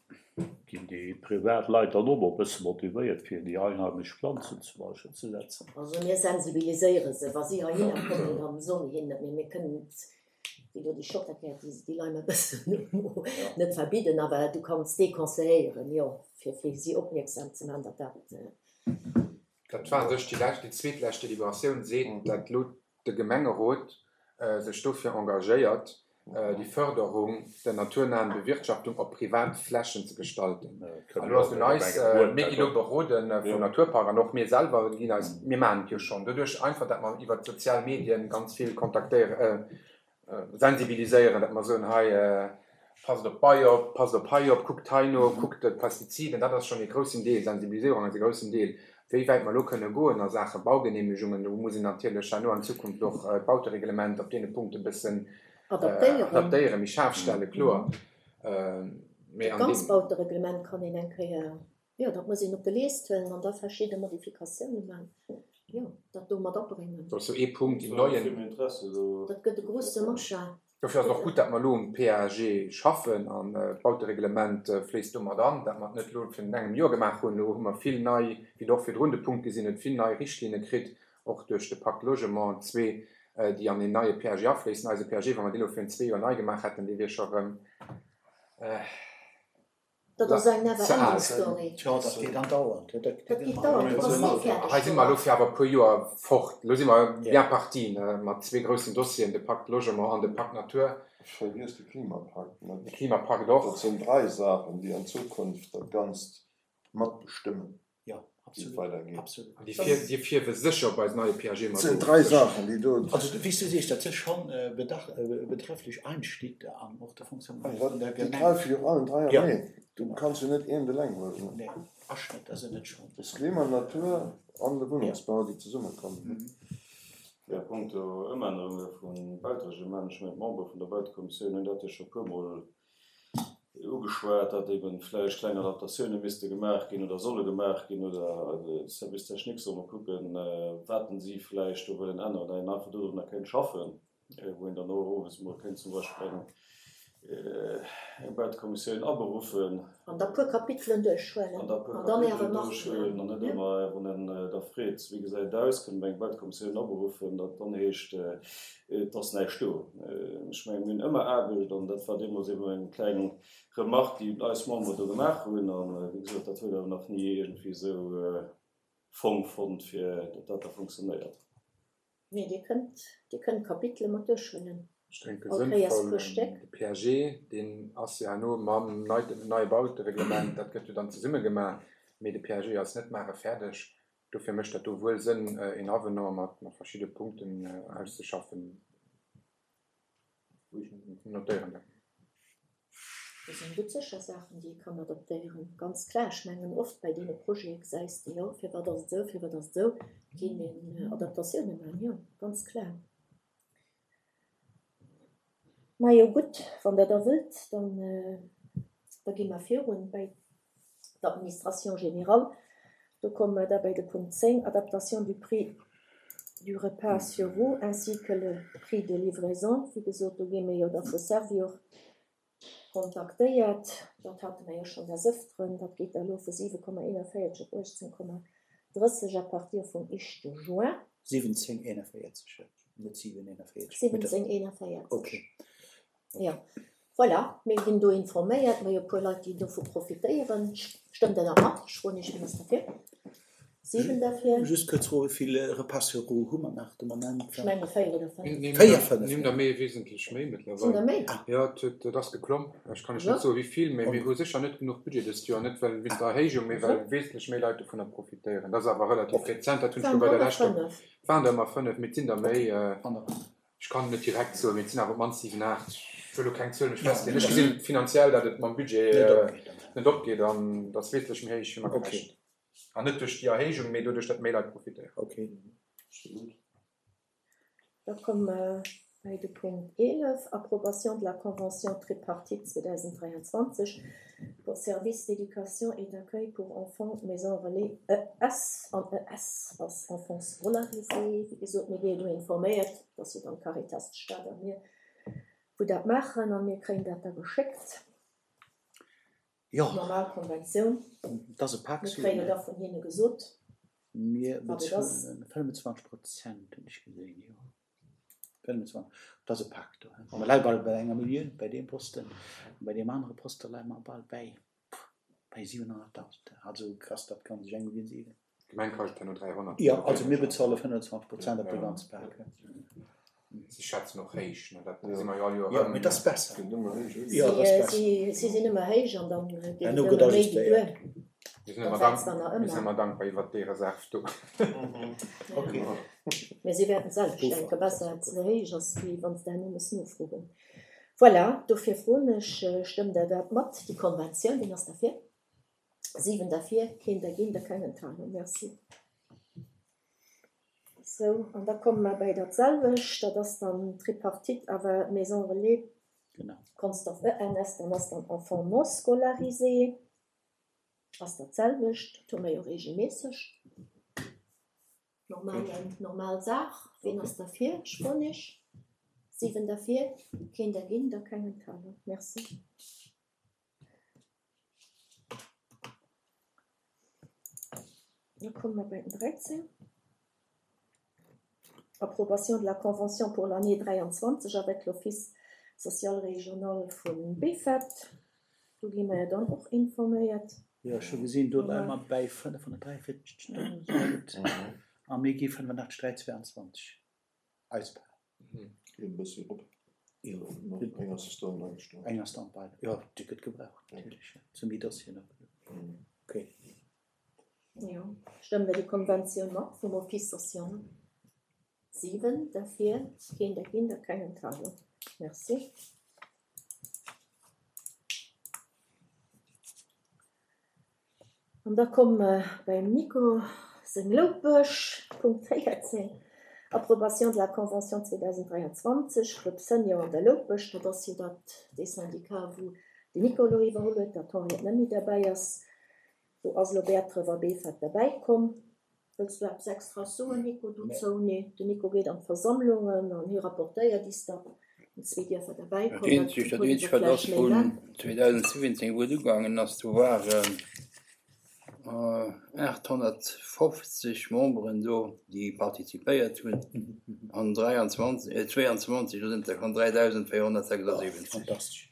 Ginn déi privat Leit dann och mol e bësse motivéiert, fir déi einheimesch Planzen zum Beispill ze setzen? Also mir sensibiliséiere se. Wa si heihinner kommen, da soe mir hinnen dat. Mee mir kënnen et, wéi do déi Schotterkäert, déi déi Leit e bëssen net verbidden, awer du kanns deconseilléieren, jo, fir fir si opmierksam ze maachen, datt dat. Dat war u sech déi lescht, déi zweetlescht Deliberatioun seet, datt elo de Gemengerot sech dofir engagéiert, déi Förderung der naturnahen Bewirtschaftung op privat Flächen ze gestalten. An elo ass un eis, mir ginn elo beroden vum Naturpark an och mir selwer ginn eis, mir maachen et jo schonn doduerch einfach, datt mer iwwert d'sozial Medien ganz vill kontaktéieren, sensibiliséieren, datt mer soen, hei passt op d'Bei op, passt op hei op, kuckt hei no, kuckt d'Pestiziden, dat ass schonn ee groussen Deel, Sensibiliséierung ass ee groussen Deel. Wéi wäit mer elo kënne goen a Saache Baugenehmegungen, do muss een natierlech herno an Zukunft och d'Bautereglement op deene Punkte e bëssen adaptéieren, méi schaarf stellen, kloer. Mee Dat an ganzt deem. Bautereglement kann een eng Kéier, jo, dat muss een op de Leest huelen an da verschidde Modifikatiounen maachen, jo, dat do mat abréngen. Dat ass jo ee Punkt, déi neien. Dat gëtt e grouse Machin. Dofir ass et och gutt, datt mer elo um PAG schaffen an d'Bautereglement fléisst do mat an, dat mer et net elo virun engem Joer gemaach hunn. Elo hu mer vill nei, wéi Der och virdrun de Punkt gesinn hutt, vill nei Richtlinne kritt, och duerch de Pacte Logement zwee, déi an een neie PAG afléissen. Eise PAG, wa mer dee elo virun zwee Joer nei gemaach hätten, dee wier scho erëm. Dat ass eng never Ze al. ending story. Tjo, dat geet andauernd. Dat Dat geet dauernd, dat ass ni fäerdeg Hei si mer elo fir awer e puer Joer fort. Elo si mer Ja. bien parti, ne, mat zwee groussen Dossieren, de Pacte Logement an de Pacte Nature. Ech vergiess de Klimapakt De net. Klimapakt och. Dat sinn dräi Saachen, déi an Zukunft dat Ganzt matbestëmmen, Ja, wéi et absolut. weidergeet. Absolut. An déi fir, déi fierwe sécher op eisen neie PAG Et mat sinn of. dräi Sécher. Saachen, déi do. Also, wéi s du sees, dat si schonn bedach, betrefflech Einschnitte an och der Fonctionnement vun der Déi Gemeng. gräife jo allen dräi Ja. aneen. Du kanns jo net eent eleng huelen. Nee, Aschnëtt ass et net schonn. Das Klima, Natur an de Ja. Wunnengsbau, déi zesummekommen. Ja, punkto Ëmännerunge vum Bautereglement, ech mengen d'Membere vun der Bautekommissioun hunn dat jo scho e puermol ugeschwat, datt eeben vläicht kleng Adaptatioune misste gemaach ginn oder solle gemaach ginn oder de Service technique soll mol kucken, wat en si vläicht do wëllen änneren, datt een einfach dodrunner kéint schaffen, wou een dann och owes mol kéint zum Beispill eng eng Bautekommissioun aberuffen. An da puer Kapitelen duerchhuelen. An da puer An dann Kapitelen äre Marque. duerchhuelen an net ëmmer, wann en da freet, wéi gesäit et aus, kënne mer eng Bautekommissioun aberuffen, datt dann heescht, et ass näischt do. Ech mengen, mir hunn ëmmer Aarbecht an dat war deemools eben eng kleng Remarque, déi eis Membere do gemaach hunn. An wéi gesot, dat huet awer nach ni iergendwéi esou Fong fonnt, fir datt dat da funktionéiert. Nee, Dir kënnt, Dir kënnt Kapitele mat duerchhuelen. Ech denke All Kéiers sënnvoll, puer Stéck. de PAG, deen ass jo herno mam neie Bautereglement, dat gëtt jo dann zesumme gemaach, mee de PAG ass net mare fäerdeg. Dofir mécht dat do wuel Sënn, een Avenant mat verschidde Punkten auszeschaffen. Ech notéieren dat. Do sinn gutt sécher Saachen, déi ee kann adaptéieren, ganz klar. Ech mengen, oft bei deene Projete gesäis de, jo, firwat ass et esou, firwat ass et esou, ginn een Adaptatioune maachen, jo, ganz klar. Majo, gutt, wann Der da wëllt, dann, da gi mer virun bei d'Administration générale. Do komme mer da bei de Punkt zéng, Adaptation du prix du repas sur roues ainsi que le prix de livraison. Wéi gesot, do gi mir jo da vu Servior kontaktéiert. Dat hate mer jo schonn des Ëfteren. Dat geet da elo vu siwe Komma eenanvéierzeg op uechtzéng Komma drësseg à partir vum éischte Juin. Siwwenzéng eenanvéierzeg, net siwen eenanvéierzeg. Siwwenzéng eenanvéierzeg. Okay. Jo, voilà, mir ginn do informéiert. Mir hu e puer Leit, déi dovu profitéieren. Stëmmt Der dat mat? Ech froen Iech, wien ass derfir? Siwen derfir. Just kuerz Fro, Wéi vill Repas sur roues hu mer nach de Moment? Ech menge véier oder fënnef. Véier, fënnef? Mir hunn der méi, wesentlech méi mëttlerweil. Sinn der méi? Jo, et ass geklomm. Ech kann lech net soen, wéi vill, mee mir hu sécher net genuch Budget dëst Joer. Net well wéinst der Erhéijung, mee well wesentlech méi Leit dovunner profitéieren. Dat ass awer relativ rezent. Dat hunn ech elo bei der leschter. Et waren der ëmmer fënnef, mee et sinn der méi. Ech kann net direkt soen, mee et sinn awer op d'mannst siwen, aacht. Ech wëll elo keng Zuel mech festleeën. Ech gesinn finanziell, datt et mam Budget net opgeet an datt wesentlech méi héich wéi mer gerechent. An net duerch déi Erhéijung, mee doduerch, datt méi Leit profitéieren. Okay. Da komme mer bei de Punkt eelef, Approbation de la convention tripartite zweedausenddräianzwanzeg pour services d'éducation et d'accueil pour enfants maison relais E S an E S ass enfants scolarisés. Wéi gesot, mir gi jo do informéiert, dass jo dann d'Caritas, d'Stad a mir, wou dat maachen, a mir kréien dat da geschéckt. Jo. Normal Konventioun. Dat ass e Pak Mir Suen. kréie jo da vun hinne gesot, Mir wat et ass. bezuelen fënnefenzwanzeg Prozent, hunn ech gesinn, jo. fënnefenzwanzeg, dat ass e Pak do. A mer leie bal bei enger Millioun bei deem Posten. An bei deem anere Poste leie mer bal bäi, bei siwenhonnertdausend. Also ass dat Ganzt eng Millioun siwen. D'Gemeng kascht herno dräihonnert. Jo, also mir bezuele fënnefenzwanzeg Prozent op de ganze Pak. Si schätzen och héich, ne? Dat gesi mer jo all Joer Jo, erëm. mee dat ass besser. Gëtt ëmmer héich, Jo, dat ass besser. Si si sinn ëmmer héich an dann geet et Herno ëmmer gëtt méi wéi ajustéiert. duer. Mir sinn Dat ëmmer wächst dank, dann nach mir sinn ëmmer. ëmmer dankbar iwwert déi Reserv do. Ok. Mee si wäerten d'selwecht Puffer. denken, besser et ze héich ass, wéi wann se herno mussen nofroen. Voilà, dofir froen ech, stëmmt Der dat mat, déi Konventioun? Wien ass derfir? Siwen derfir, keen dergéint a keng Enthalung. Merci. Sou, an da komme mer bäi dat selwecht, dat ass dann d'Tripartite awer Maison Relais Genau. Consdorf E N S, dann ass dann Enfants non scolarisés, ass dat selwecht, dat hu mer jo regelméisseg. Normal, normal Saach. Wien ass derfir? Ech froen iech. Siwen derfir, keen dergéint a keng Enthalung. Merci. Da komme mer bei den dräizéng. Approbation de la convention pour l'année dräianzwanzeg avec l'Office social régional vu Beefort. Do gi mer jo dann och informéiert. Jo, ech hu gesinn, do leie mer bäi fënnefhonnertdräianvierzegdausend a mir gi fënnefundachtzeg dräi zweiundzwanzeg eis Part. Geet e bëssi erop. Jo. Eng Assistant agestallt. Eng Assistant bei. Jo, déi gëtt gebraucht, natierlech. Zum méi Dossieren och. Okay. Jo, stëmmt Der déi Konventioun mat vum Office social? Siwen derfir, keen dergéint a keng Enthalung. Merci. An da komme mer beim Nico seng Loupech, Punkt véierzéng, Approbation de la convention zweedausenddräianzwanzeg, Club Senior an der Loupech. Dat ass jo dat, dee Syndicat, wou den Nico elo iwwerholl huet, datt d'Henriette net méi derbäi ass. Do ass elo Bäertref a Beefort derbäi komm. Wëlls du eppes extra soen, Nico, dozou? Nee, den Nico geet an d'Versammlungen an hie rapportéiert is dat den zwee Dierfer derbäi Dat kommen. eenzegt, dat eenzegt, wat ass vun zweedausendsiwwenzéng, wou et ugaangen ass, do waren aathonnertfofzeg Memberen do, déi participéiert hunn, an dräianzwanzeg, zweiundzwanzeg, do sinn et der schonn dräidausendvéierhonnertsechsundsiwwenzeg. Fantastesch.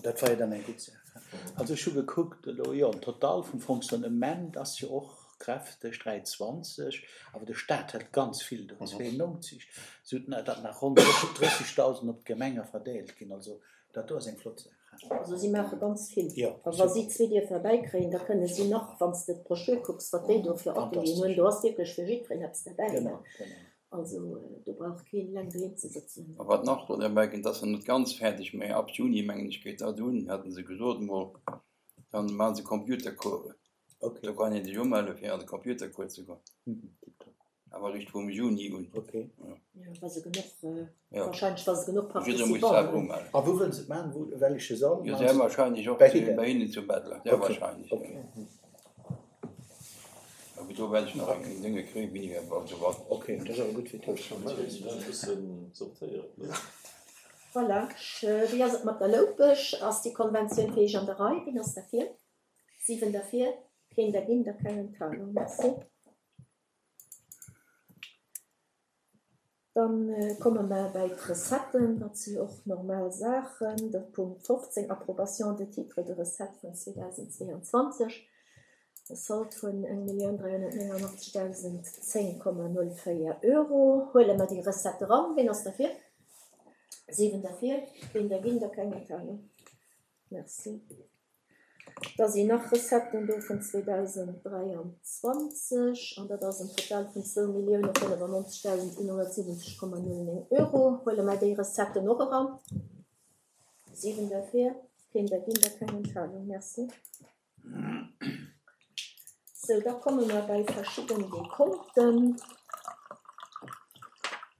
Dat war jo dann eng gutt Saach. Also ech hu gekuckt elo, jo, den Total vum Fonctionnement ass jo och kräfteg, dräizwanzeg, awer de Staat hält ganz vill do, zweeënnonzeg, sou datt nach ronn drëssigdausend op d'Gemenge verdeelt ginn. Also dat do ass eng flott Saach. Also si maache ganz vill. Jo, A wa si zwee Dierfer bäikréien, da kënne si nach, wann s de d'Broschür kucks, wat déi do fir Atelieren hunn, do ass wierklech fir jiddwereen eppes derbäi. Genau, genau. Also do brauch keen eleng doheem ze sëtzen. A wat nach do derbäi kënnt, ass nach net ganz fäerdeg, mä ab Juni, mengen ech, geet dat un, haten se gesot emol, dann maache se Computercoursen. Okay. Do kann een sech umelle fir an de Computercours ze goen. Tipptopp. Awer eréischt vum Juni un. Okay. Ja. Jo, wa se genuch, Ja. wahrscheinlech wa se genuch Jidderee muss Participanten selwer hunn. umellen. A wou wëllen se et maachen? Wou, welche Sall? Jo, sehr wahrscheinlech och Bei zu, hinnen? bei hinnen zu Bettler. Sehr Okay. wahrscheinlech, Okay. ja. Awer do wäert ech nach eng Dinge kréien, wéini wir also wat. Okay, dat ass awer gutt fir Formell sinn dat e bëssen sortéiert, ne? Voilà. Wéi ass et mat der Loupech? Ass déi Konventioun fir iech an der Rei? Wien ass derfir? Siwen derfir, keen dergéint a keng Enthalung. Merci. Dann komme mer bäi d'Recetten, dat si jo och normal Saachen. De Punkt fofzéng, Approbation de titres de recettes vun zweedausendzweeanzwanzeg, e Solde vun eng Millioun dräihonnertnéngundachtzegdausend zéng Komma null véier Euro. Huele mer déi Recette eran. Wien ass derfir? Siwen derfir, keen dergéint a keng Enthalung. Merci. Da sinn nach Recetten do vun zweedausenddräianzwanzeg an dat ass en Total vun zwou Millioune fënnefannonzegdausend eenhonnertsiwwenzeg Komma null néng Euro. Huele mer déi Recetten och eran. Siwen derfir, keen dergéint a keng Enthalung. Merci. Sou, da komme mer bei verschidden Dekonten.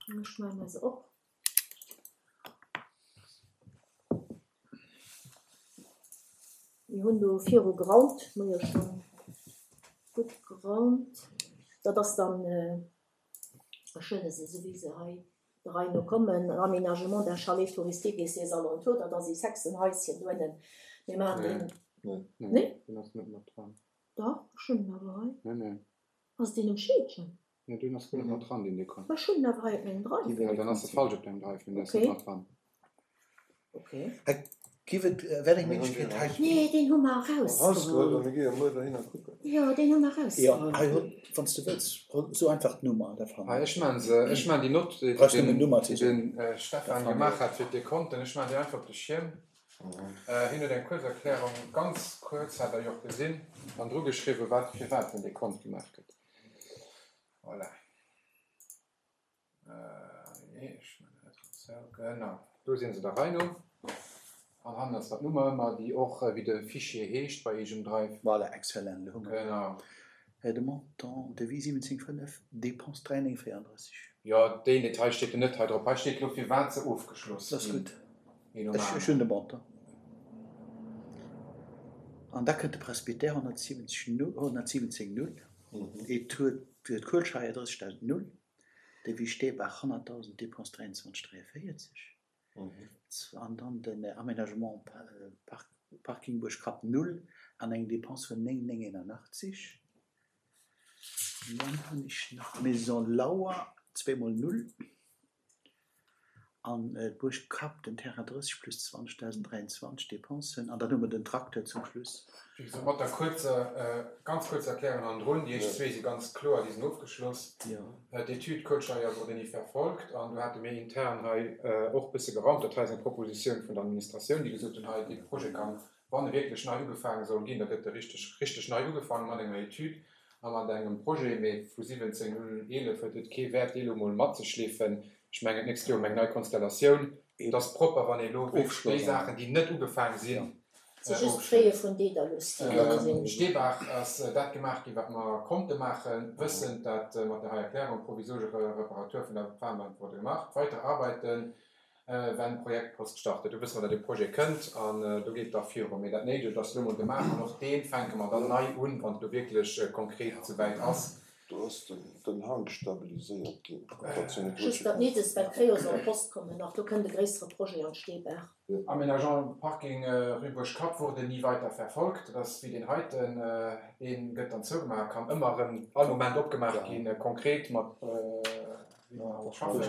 Ech maache mer se op. Mir hunn do viru geraumt, mir hu jo schonn gutt geraumt. Dat ass dann, ech huele se esou wéi se hei der Rei no kommen, Aménagement d'un chalet touristique et ses alentours, dat ass ee Sechsenhaischen do ënnen. Mir maachen deen Nee? Deen ass net mat dran. Dach, ech hunn en awer hei. Nee, nee. Ass deen um Scheedgen? Nee, deen ass guer net mat dran, deen Dekont. Ma ech hunn en awer hei op mengem Drive. Ja, dann ass e falsch op dengem Drive, mee deen ass net Okay. mat dran. Okay. Hei giff et, wär eng Méiglechkeet hei. Nee, deen hu mer erausgeholl. Erausgeholl, a mir gi jo muer dohinner kucken. Jo, deen hu mer Jo, erausgeholl. hei hol, wann s de wëlls, hol so einfach d'Nummer, da fannen Hei, ech. ech maan se, ech maan déi Nott, déi Brauchst nëmmen den, d'Nummer ze déi soen. den Da Stefan fannen gemaach ech. hat fir d'Dekonten, ech maan déi einfach op de Schierm. Hien huet eng kuerz Erklärung, ganz kuerz, hat Der jo och gesinn, an dru geschriwwen, wat firwat den Dekont gemaach gëtt. Voilà. Nee, ech maan dat esou, genau. Do sinn se der Rei no. An hannen ass dat Nummer ëmmer, déi och wéi de Fichier heescht bei eegem Drive. Voilà, excellent, elo hu mer Genau. de Montant, Devis siwwenzéng fënnef, Dépense dräi néng véierunddrësseg. Jo, deen Detail steet jo net hei drop. Hei steet elo firwat se ofgeschloss Dat ass ginn. gutt. Een nom Ech, ech aneren. hunn de Montant. An da kënnt de Presbytère honnertsiwwenzeg null, honnertsiwwenzéng null, et huet d'Kuelscheier drëssegdausend null, Devis Steebaach honnertdausend, Dépense dräiundzwanzeg dräiavéierzeg. An dann den Aménagement Parking Buerg Kapp null an eng Dépense vun néng néng eenanachtzeg. An dann hunn ech nach d'Maison Lauer zweemol null an d'Buerg Kapp den Terrain drësseg plus zwanzegdausend dräiundzwanzeg Dépensen. An dann hu mer den Tracteur zum Schluss. Wéi gesot, mat der kuerzer, ganz kuerzer Erklärung hannendrun, déi éischt zwee si ganz kloer, déi sinn ofgeschloss. D'Etüd Kölscheier wurde nie verfolgt an do hate mir intern hei och bësse geraumt. Dat hei ass eng Propositioun vun der Administratioun, déi gesot hunn, hei dee Projet kann, wann e wierklech nei ugefaange soll ginn, da gëtt e richteg, richteg nei ugefaange mat enger Etüd a mat engem Projet. Mee vu siwwenzéng null eelef huet et kee Wäert, dee elo mol matzeschleefen. Ech mengen, d'nächst Joer hu mer eng nei Konstellatioun. Et ass propper, wann ee elo wierklech déi Saachen, déi net ugefaange sinn, Et si just d'Fraie vun Dedalus, déi do sinn. Steebaach ass dat gemaach ginn, wat mer konnte maachen, wëssend, dat mat der hei Erklärung provisorische Reparatur vun der Fahrbahn wurde gemacht. Weitere Arbeiten, wenn Projektpost startet. Do wësse mer, datt dee Projet kënnt an do geet et da viru. Mee dat Néidegt ass elo mol gemaach an och dee fänke mer dann nei un, wann et elo wierklech konkret souwäit ass. Do ass den Hank stabiliséiert ginn. Just dat Néidegst, well d'Créos en poste kommen nach. Do kënnt e gréissere Projet an d'Steebaach. Aménagement Parking rue Buerg-Kapp wurde nie weiter verfolgt. Dat ass wéi deen heiten, dee gëtt dann zougemaach, kann ëmmer erëm all Moment opgemaach ginn, konkret mat wéi mer dat schaffen.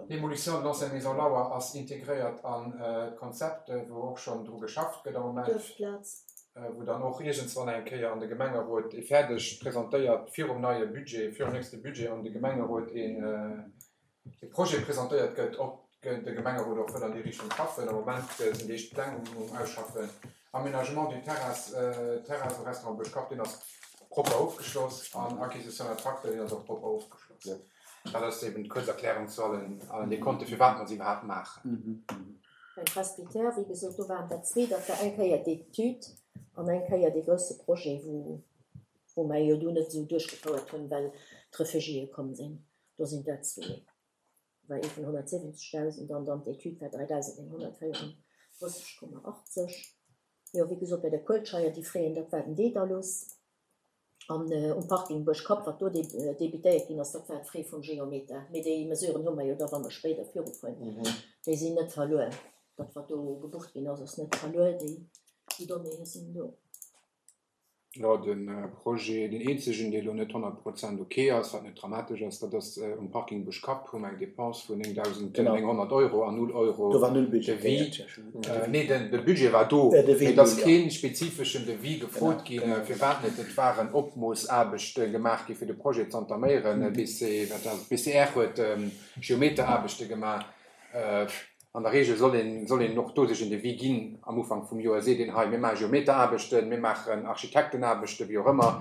D'Demolition de l'ancienne Maison Lauer ass integréiert an d'Konzept, wou och schonn dru geschafft gëtt am Moment. Duerfplaz. Wou dann och iergendswann eng Kéier an de Gemengerot ee fäerdeg presentéiert, virum neie Budget, virum nächste Budget an de Gemengerot een e Projet presentéiert gëtt, ob de Gemengerot och wëll an déi Richtung schaffen. Am Moment sinn déi éischt Pläng um Ausschaffen. Aménagement du terrasse, Terrasse au Restaurant Bëschkapp, deen ass propper ofgeschloss an Acquisition d'un tracteur, deen ass och propper ofgeschloss. Dat ass eben d'kuerz Erklärung zu allen, allen Dekonte, firwat mer se iwwerhaapt maachen. Beim Presbytère, wéi gesot, do waren der zwee, dat war eng Kéier d'Etüd an eng Kéier dee grousse Projet, wou, wou mer jo do net esou duerchgefouert hunn, well d'Refugiéë komm sinn. Do sinn dat zwee. War ee vun honnertsiwwenzegdausend an dann d'Etüd war dräidausendnénghonnertvéierunddrësseg Komma achtzeg. Jo, wéi gesot, bei der Kuelscheier, déi Fräen, dat war den Dedalus. An um Parking Buerg-Kapp, wat do debitéiert ginn ass, dat war d'Frais vum Geometer. Mee déi Mesuren hu mer jo da, wa mer spéider virufueren. Déi sinn net verluer. Dat, wat do gebucht ginn ass, ass net verluer. Déi Donnéeë sinn do. Jo, de Projet, deen eenzegen, dee elo net honnert Prozent ok ass, wat net dramatesch ass, dat ass um Parking Buschkapp, hu mer eng Dépense vun néngdausendnénghonnert Euro an null Euro Do war null Devis. budgetéiert, ja, schon. Nee, den, de Budget war do, Äh, Devis mee et ass null, ja. kee spezifeschen Devis gefrot Genau, ginn. genau. Firwat net? Et waren Opmoossarbechte gemaach gi fir de Projet z'entaméieren. B C, wat ass et? B C R huet Geometeraarbechte gemaach. An der Regel soll een, soll een och do sech en Devis ginn am Ufank vum Joer, seet een hei, mir maache Geometeraarbechten, mir maachen Architektenaarbechten, wéi och ëmmer.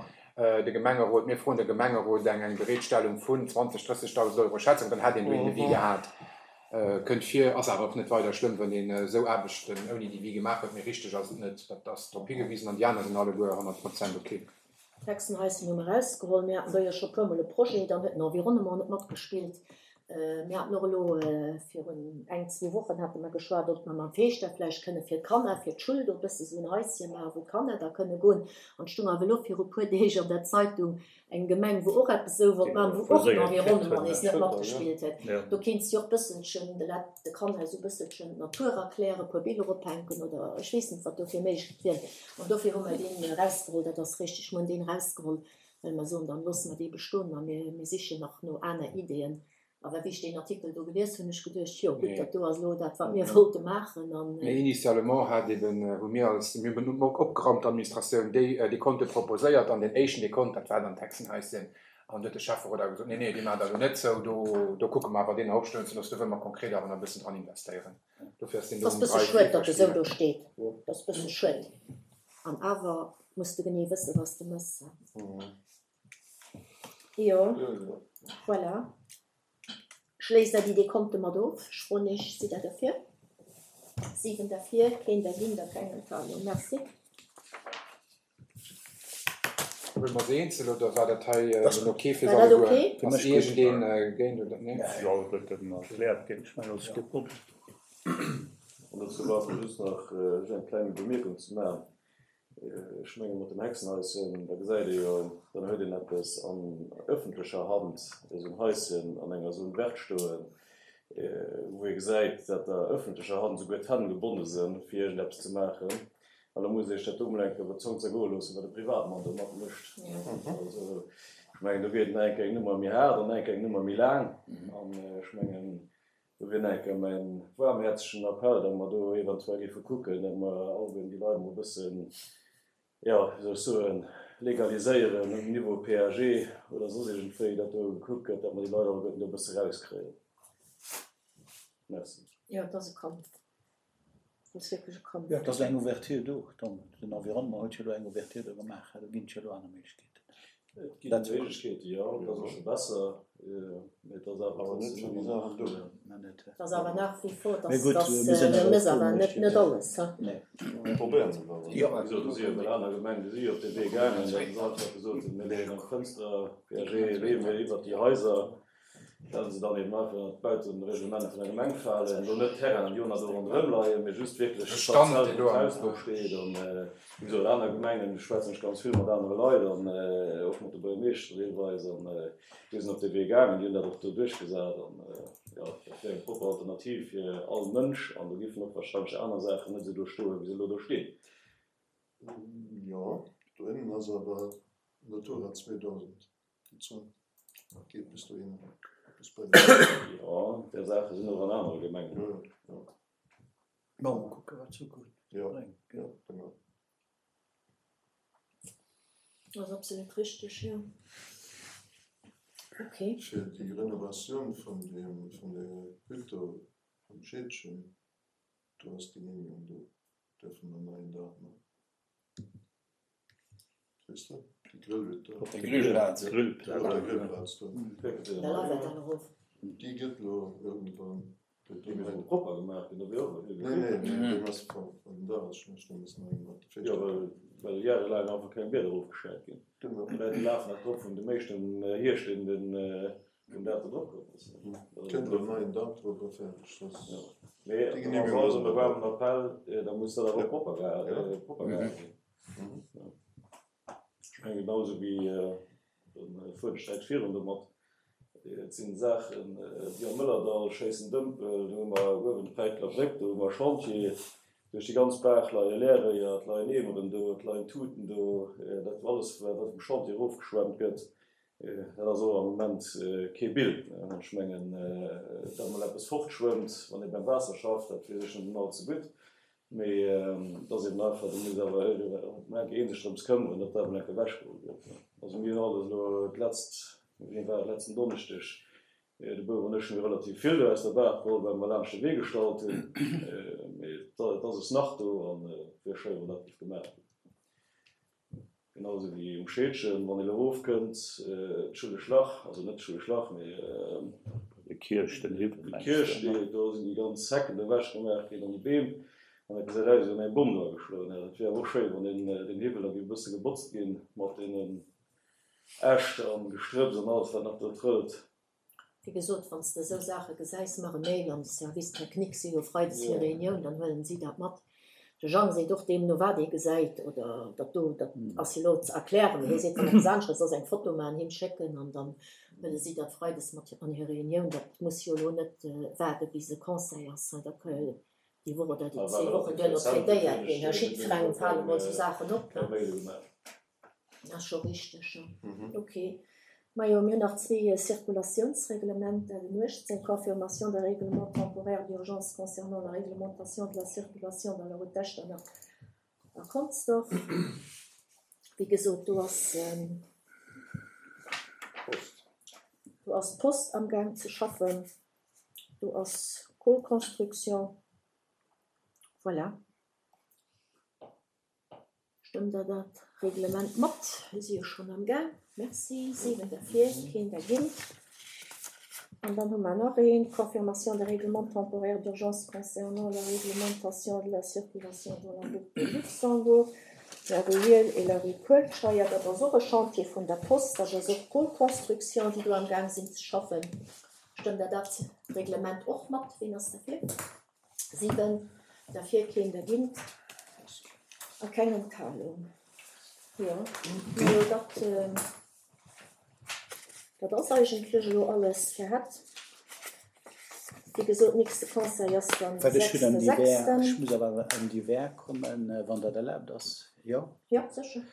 De Gemengerot, mir froen de Gemengerot eng, eng Bereetstellung vun zwanzeg, drëssegdausend Euro Schätzung, dann hätt een do een Devis gehat. Kënnt vir, ass awer och net weider schlëmm, wann een esou Aarbechten ouni Devis gemaach huet, mee richteg ass et net. Dat ass drop higewisen an déi aner sinn alleguer honnert Prozent ok. D'Hexenhaischen hu mer erausgeholl. Mir haten do jo scho puermol e Projet, dann huet den Environnement net matgespillt, Mir haten och elo virun eng, zwou Wochen hate mer geschwat, ob mer mam Feeschter vläicht kënne fir d'Kanner, fir d'Schull do e bësse sou en Haische maachen, wou d'Kanner da kënne goen. An et stoung awer elo viru puer Deeg an der Zeitung eng Gemeng, wou och eppes esou wollt maachen, wou och den Environnement nees net matgespillt huet. Do kéints de jo och bësselchen de Leit, de Kanner esou bësselchen d'Natur erklären, e puer Biller ophänken oder ech weess net, wat do fir Méiglechkeet wieren. An dofir hu mer deen erausgeholl, dat ass richteg, mer hunn deen erausgeholl, well mer soen, dann loosse mer dee bestoen a mir, mir sichen nach no aner Ideeën. Awer wéi ech deen Artikel do gelies hunn, hunn ech geduecht, jo gutt, dat do ass elo dat, wat mir wollte maachen. An. Mee initialement hat eben, hu mir als, mir hunn och opgeraumt, d'Administratioun, déi Dekonte proposéiert an deen éischten Dekont, dat war dann d'Hexenhaischen. An du huet de Schäfferot awer gesot, nee, nee, dee maacht Der elo net zou, do, do kucke mer awer deen nach opstoen ze loossen, do wëlle mer konkret awer nach e bëssen dran investéieren. Dofir ass deen do um Ass bësse dräi, schued, vier datt e sou do verstinn. steet. Dat ass bësse schued. An awer muss de genee wëssen, wat s de méchs. Jo, voilà. Schléisst Der déi Dekonte mat of? Ech froen Iech, Sidd Der derfir? Siwen derfir, keen dergéint a keng Enthalung. Merci. Huele mer se eenzel oder war dat hei en ok fir se War dat alleguer? ok? Ass iergendeen géint oder nee? Jo, et gëtt en erkläert ginn. Ech mengen, dat ass kee Problem. An dozou war just nach eng kleng Bemierkung ze maachen. Ech menge mat dem Hexenhaischen, da gesäit ee jo, dann huet een eppes an öffentlecher Hand, esou en Haischen an enger Zone verte stoen, wou ee gesäit, dat der öffentlecher Hand esouguer d'Hänn gebonne sinn, fir iergendeppes ze maachen. An da muss ee sech dat do emol eng Kéier iwwer d'Zong zergoe loossen, wat e Privatmann do matmécht. Also, ech mengen, do wier et nach eng Kéier eng Nummer méi haart an nach eng Kéier eng Nummer méi laang. An ech mengen, Do wier nach eng Kéier mäin waarmhäerzegen Appell, datt mer do eventuell géife kucken, datt mer alleguerten déi Leit emol e bëssen, jo, wéi soll ech soen, legaliséieren um Niveau PAG oder soss iergendwéi, datt do gekuckt gëtt, datt mer déi Leit alleguerten do e bësse erauskréien. Merci. Jo, et ass e Kampf. Et ass wierklech e Kampf. Jo, et ass eng Ouverture do. Den Environnement huet jo elo eng Ouverture do gemaach. Do ginn et jo elo aner Méiglechkeeten. Et ginn Méiglechkeeten, jo, et ass och scho besser, mee et ass awer trotzdem ëmmer nach do. Et ass awer nach wie vor, Mee dass gutt, dass mir sinn mir awer mëss och do awer net net mécht. alles, he. Nee. Mir probéieren et awer. Jo. Wéi gesot, do si jo emol aner Gemengen, déi si jo op dee Wee gaangen, datt se einfach gesot hunn, mir leeën eng Fënster, PAG, leeë mir iwwert déi Haiser. Well se dann eben einfach ënnert d'Bautereglement vun der Gemeng falen, do net Terrainen, déi och nach do ronderëm leien, mee just wierklech De Stand, d'Parzell, deen wou do am d'Haus drop steet. An wéi gesot, aner Gemengen, do schwätzen ech ganz vill mat anere Leit an och mat de Buergermeeschteren deelweis, an déi sinn op dee Wee gaangen, déi hunn dat och do duerchgesat. An jo, dat wär eng propper Alternativ fir all Mënsch an do géifen och wahrscheinlech aner Saachen net esou do stoen, wéi se elo do stinn. Jo, dohinnen ass awer Natura zweedausend, déi Zon. Geet bis dohinner, bis bei den. Jo, där Saache sinn och an anere Gemengen. Jo, jo. Bon, mol kucke wat d'Zukunft Jo, bréngt, jo, gell? genau. Ass absolut richteg, jo. Ok. Fir déi Renovatioun vun deem, vun der Hütt do am Scheedgen, do ass d'Genehmigung do, däerfe mer neien Daach man. Weess de, déi Grillhütt do. Op der Grillplaz. Op der Grillplaz do. Da laf dat dann erof. Déi gëtt elo iergendwann. Déi muss elo propper gemaach ginn, da wier och Nee, nee, nee, deen ass voll. Den Daach ass schlecht, do muss nach eng mat Jo, well, well jarelaang einfach keng Bieder erofgeschäit ginn. Genau. Déi Leit, déi lafen nach drop vun dem éischten Hierscht, deen den, vun dat do drop komm ass. Kënnt elo neien Daach drop a fäerdeg. Dat Jo. Mee déi da Genehmigung ass ass also e waarmen Appell, da muss dat awer och propper geha, propper gehale ginn. Ech mengen genau esou wéi de fueren ech direkt virun domat. Et sinn Saachen wéi am Mëllerdall, Schéissen Dëmpel, do hu mer uewen d'Päiteler Bréck, do hu mer Chantier, duerch déi ganz Baach leie Leerréier, et leien Eemeren do, et leien Tuten do, dat alles wat vum Chantier erofgeschwemmt gëtt, dat ass och am Moment kee Bild. Ech mengen, datt emol eppes fortschwëmmt, wann ee beim Waasser schafft, dat weess ech net all ze gutt. Mee et ass eben einfach, do muss awer emol eng Kéier ee sech drëms këmmeren, datt dat emol eng Kéier ewechgeholl gëtt. Also mir hunn alles elo d'letzt, wéini war et, letzten Donneschdeg, de Bouf an ech hunn relativ vill do aus der Baach geholl, well mer laanscht de Wee gestallt hunn. Mee et ass es nach do an et wier schéi, wann dat géif gemaach ginn. Genau esou wéi um Scheedgen, wann ee lo erofkënnt, d'Schullesch Lach, also net d'Schullesch Lach, mee De Kierch, den Hiwwel, de mengs Kierch, de, ne? do sinn déi ganz Hecken ewech gemaach ginn an déi Beem, an dat gesäit aus, wéi wann eng Bomm do ageschloen hätt. Et wier awer och schéi, wann deen, deen Hiwwel da géif e bësse gebotzt ginn, mat deenen Äscht an Gestrëpps an alles, wat nach do trëllt. Wéi gesot, wann s de esou Saache gesäis, mach e Mail an de Service technique, si hu freides hir Reunioun, dann huelen si dat mat. De Jang seet och, deemno wat ee gesäit oder dat do, dat ass jo elo ze erklären, mee hie seet, wann eppes anescht ass, eng Foto maachen, him schécken an dann huele si dat freides mat an hir Reunioun. Dat muss jo elo net waarde bis e Conseil ass, dat ka jo déi Woch oder déi zwee Wochen duerno traitéiert ginn. Jiddwerengem fale mol esou Saachen op. Ass scho richteg, jo. Ok. Majo, mir hunn nach zwee Circulatiounsreglementer, den uechtzéng, Confirmation d'un règlement temporaire d'urgence concernant la réglementation de la circulation dans la route d'Echternach a Consdorf. Wéi gesot, do ass, do ass d'Post amgaang ze schaffen, do ass Cole Construction. Voilà. Stëmmt Der dat Reglement mat? Mir si jo schonn am Gaang. Merci. Siwen derfir, keen dergéint. An dann hu mer nach een, Confirmation des règlements temporaires d'urgence concernant la réglementation de la circulation dans la route de Luxembourg, la rue Hiehl et la rue Kuelscheier. Dat ass och e Chantier vun der Post, dat ass och Cole Construction, déi do am Gaang sinn ze schaffen. Stëmmt Der dat Reglement och mat? Ween ass derfir? Siwen derfir, keen dergéint a keng Enthalung. Jo, majo, dat, dat ass eigentlech elo alles fir hatt. Wéi gesot, nächste Conseil ass dann de Wat ech hunn am sechste Divers, sechsten. ech muss awer am Divers kommen, wann dat erlaabt ass, jo? Jo, sécher.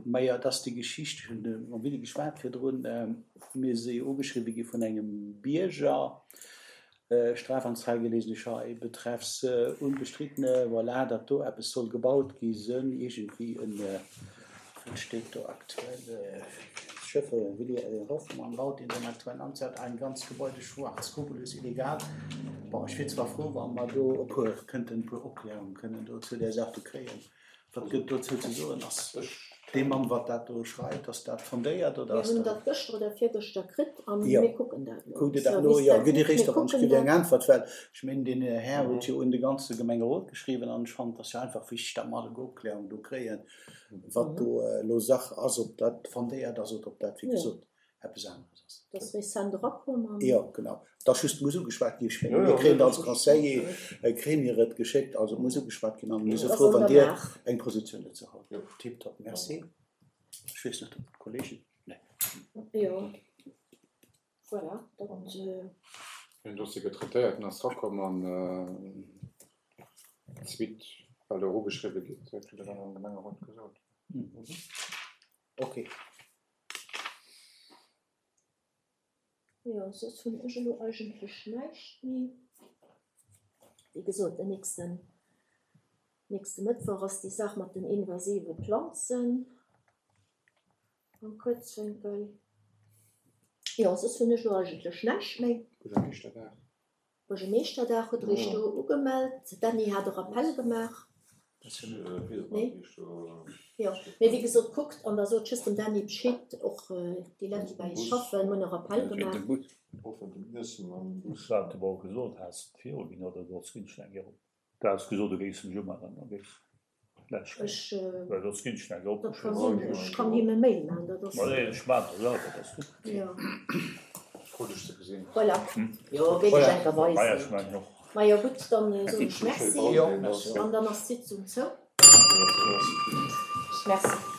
Majo, et ass déi Geschicht, ech hunn mam Willy geschwat virdrun, mir si ugeschriwwe gi vun engem Bierger, Strafanzeige lesen ech hei, betreffs unbestrittene, voilà, datt do eppes soll gebaut gi sënn, iergendwéi en, wat steet do aktuell, Schöffe Willy Hoffmann baut in seiner aktuellen Amtszeit ein ganz Gebäude schwarz, skrupellos illegal. Bon, ech wier zwar frou, wa mer do e puer kënnten, e puer Opklärungen kënnen do zu där Saach do kréien. Wat gëtt dozou ze soen? Ass dee Mann, wat dat do schreift, ass dat fondéiert oder Mir ass hunn dat. dat gëschter oder virgëschter kritt a Jo, mir kucken dat elo. kuckt Dir dat no? Service Jo, gitt Dir technique, réischt mir op an ech kucken kritt Dir eng dat. Äntwert, well ech mengen, deen Här huet jo un de ganze Gemengerot geschriwwen an ech fannen, et ass jo einfach wichteg, datt mer alleguer Opklärung do kréien, wat do elo Sach ass, ob dat fondéiert ass oder ob dat, wéi Jo. gesot, eppes aneres ass. Dat ass recent erakomm an. Jo, genau. Et ass just, muss ugeschwat ginn. Ech Jo, mengen, mir jo, kréien nee, et als dat ass Conseiller, kréie mir et geschéckt, also et muss ugeschwat ginn an mir si Et ass frou, an wann der Dir Maach. eng Positioun dozou hutt. Jo. Tiptop, merci. Ech weess net, ob d'Kollegen, nee. Jo, voilà, dat. Den Dossier gëtt traitéiert, en ass erakomm an d'Suite, well do erugeschriwwe gëtt, kritt Der dann am Gemengerot gesot. Okay. Jo, soss hunn ech elo eigentlech näischt méi. Wéi gesot, den nächsten, nächste Mëttwoch ass déi Saach mat den invasive Planzen am Kuerzwénkel. Jo, soss hunn ech elo eigentlech näischt méi. Buergermeeschterdag. Buergermeeschterdag hutt Der Iech do ugemellt. D'Anny hat e Rappel gemaach. Nee? Jo, mee wéi gesot, kuckt an da sot just dem Dany Bescheed, och déi Leit, déi bei eis schaffen, hunn e Rappel gemaach. Ech hat awer och gesot, has de viru ginn oder soss ginn ech eng Kéier op. Du has gesot, du géifs mech umellen, da géifs lech Ech, well soss ginn ech eng Kéier dat ka opgeschriwwen. sinn, ech kann him e Mail maachen, dat ass. Ma nee, ech maachen dat selwer, dat ass gutt. Jo. Frou dech ze gesinn. Voilà, jo, géif ech Voilà. enker Maja, ech weisen. mengen och. Majo gutt, dann soen ech Merci Jo, merci. an dann ass d'Sitzung zou. Merci.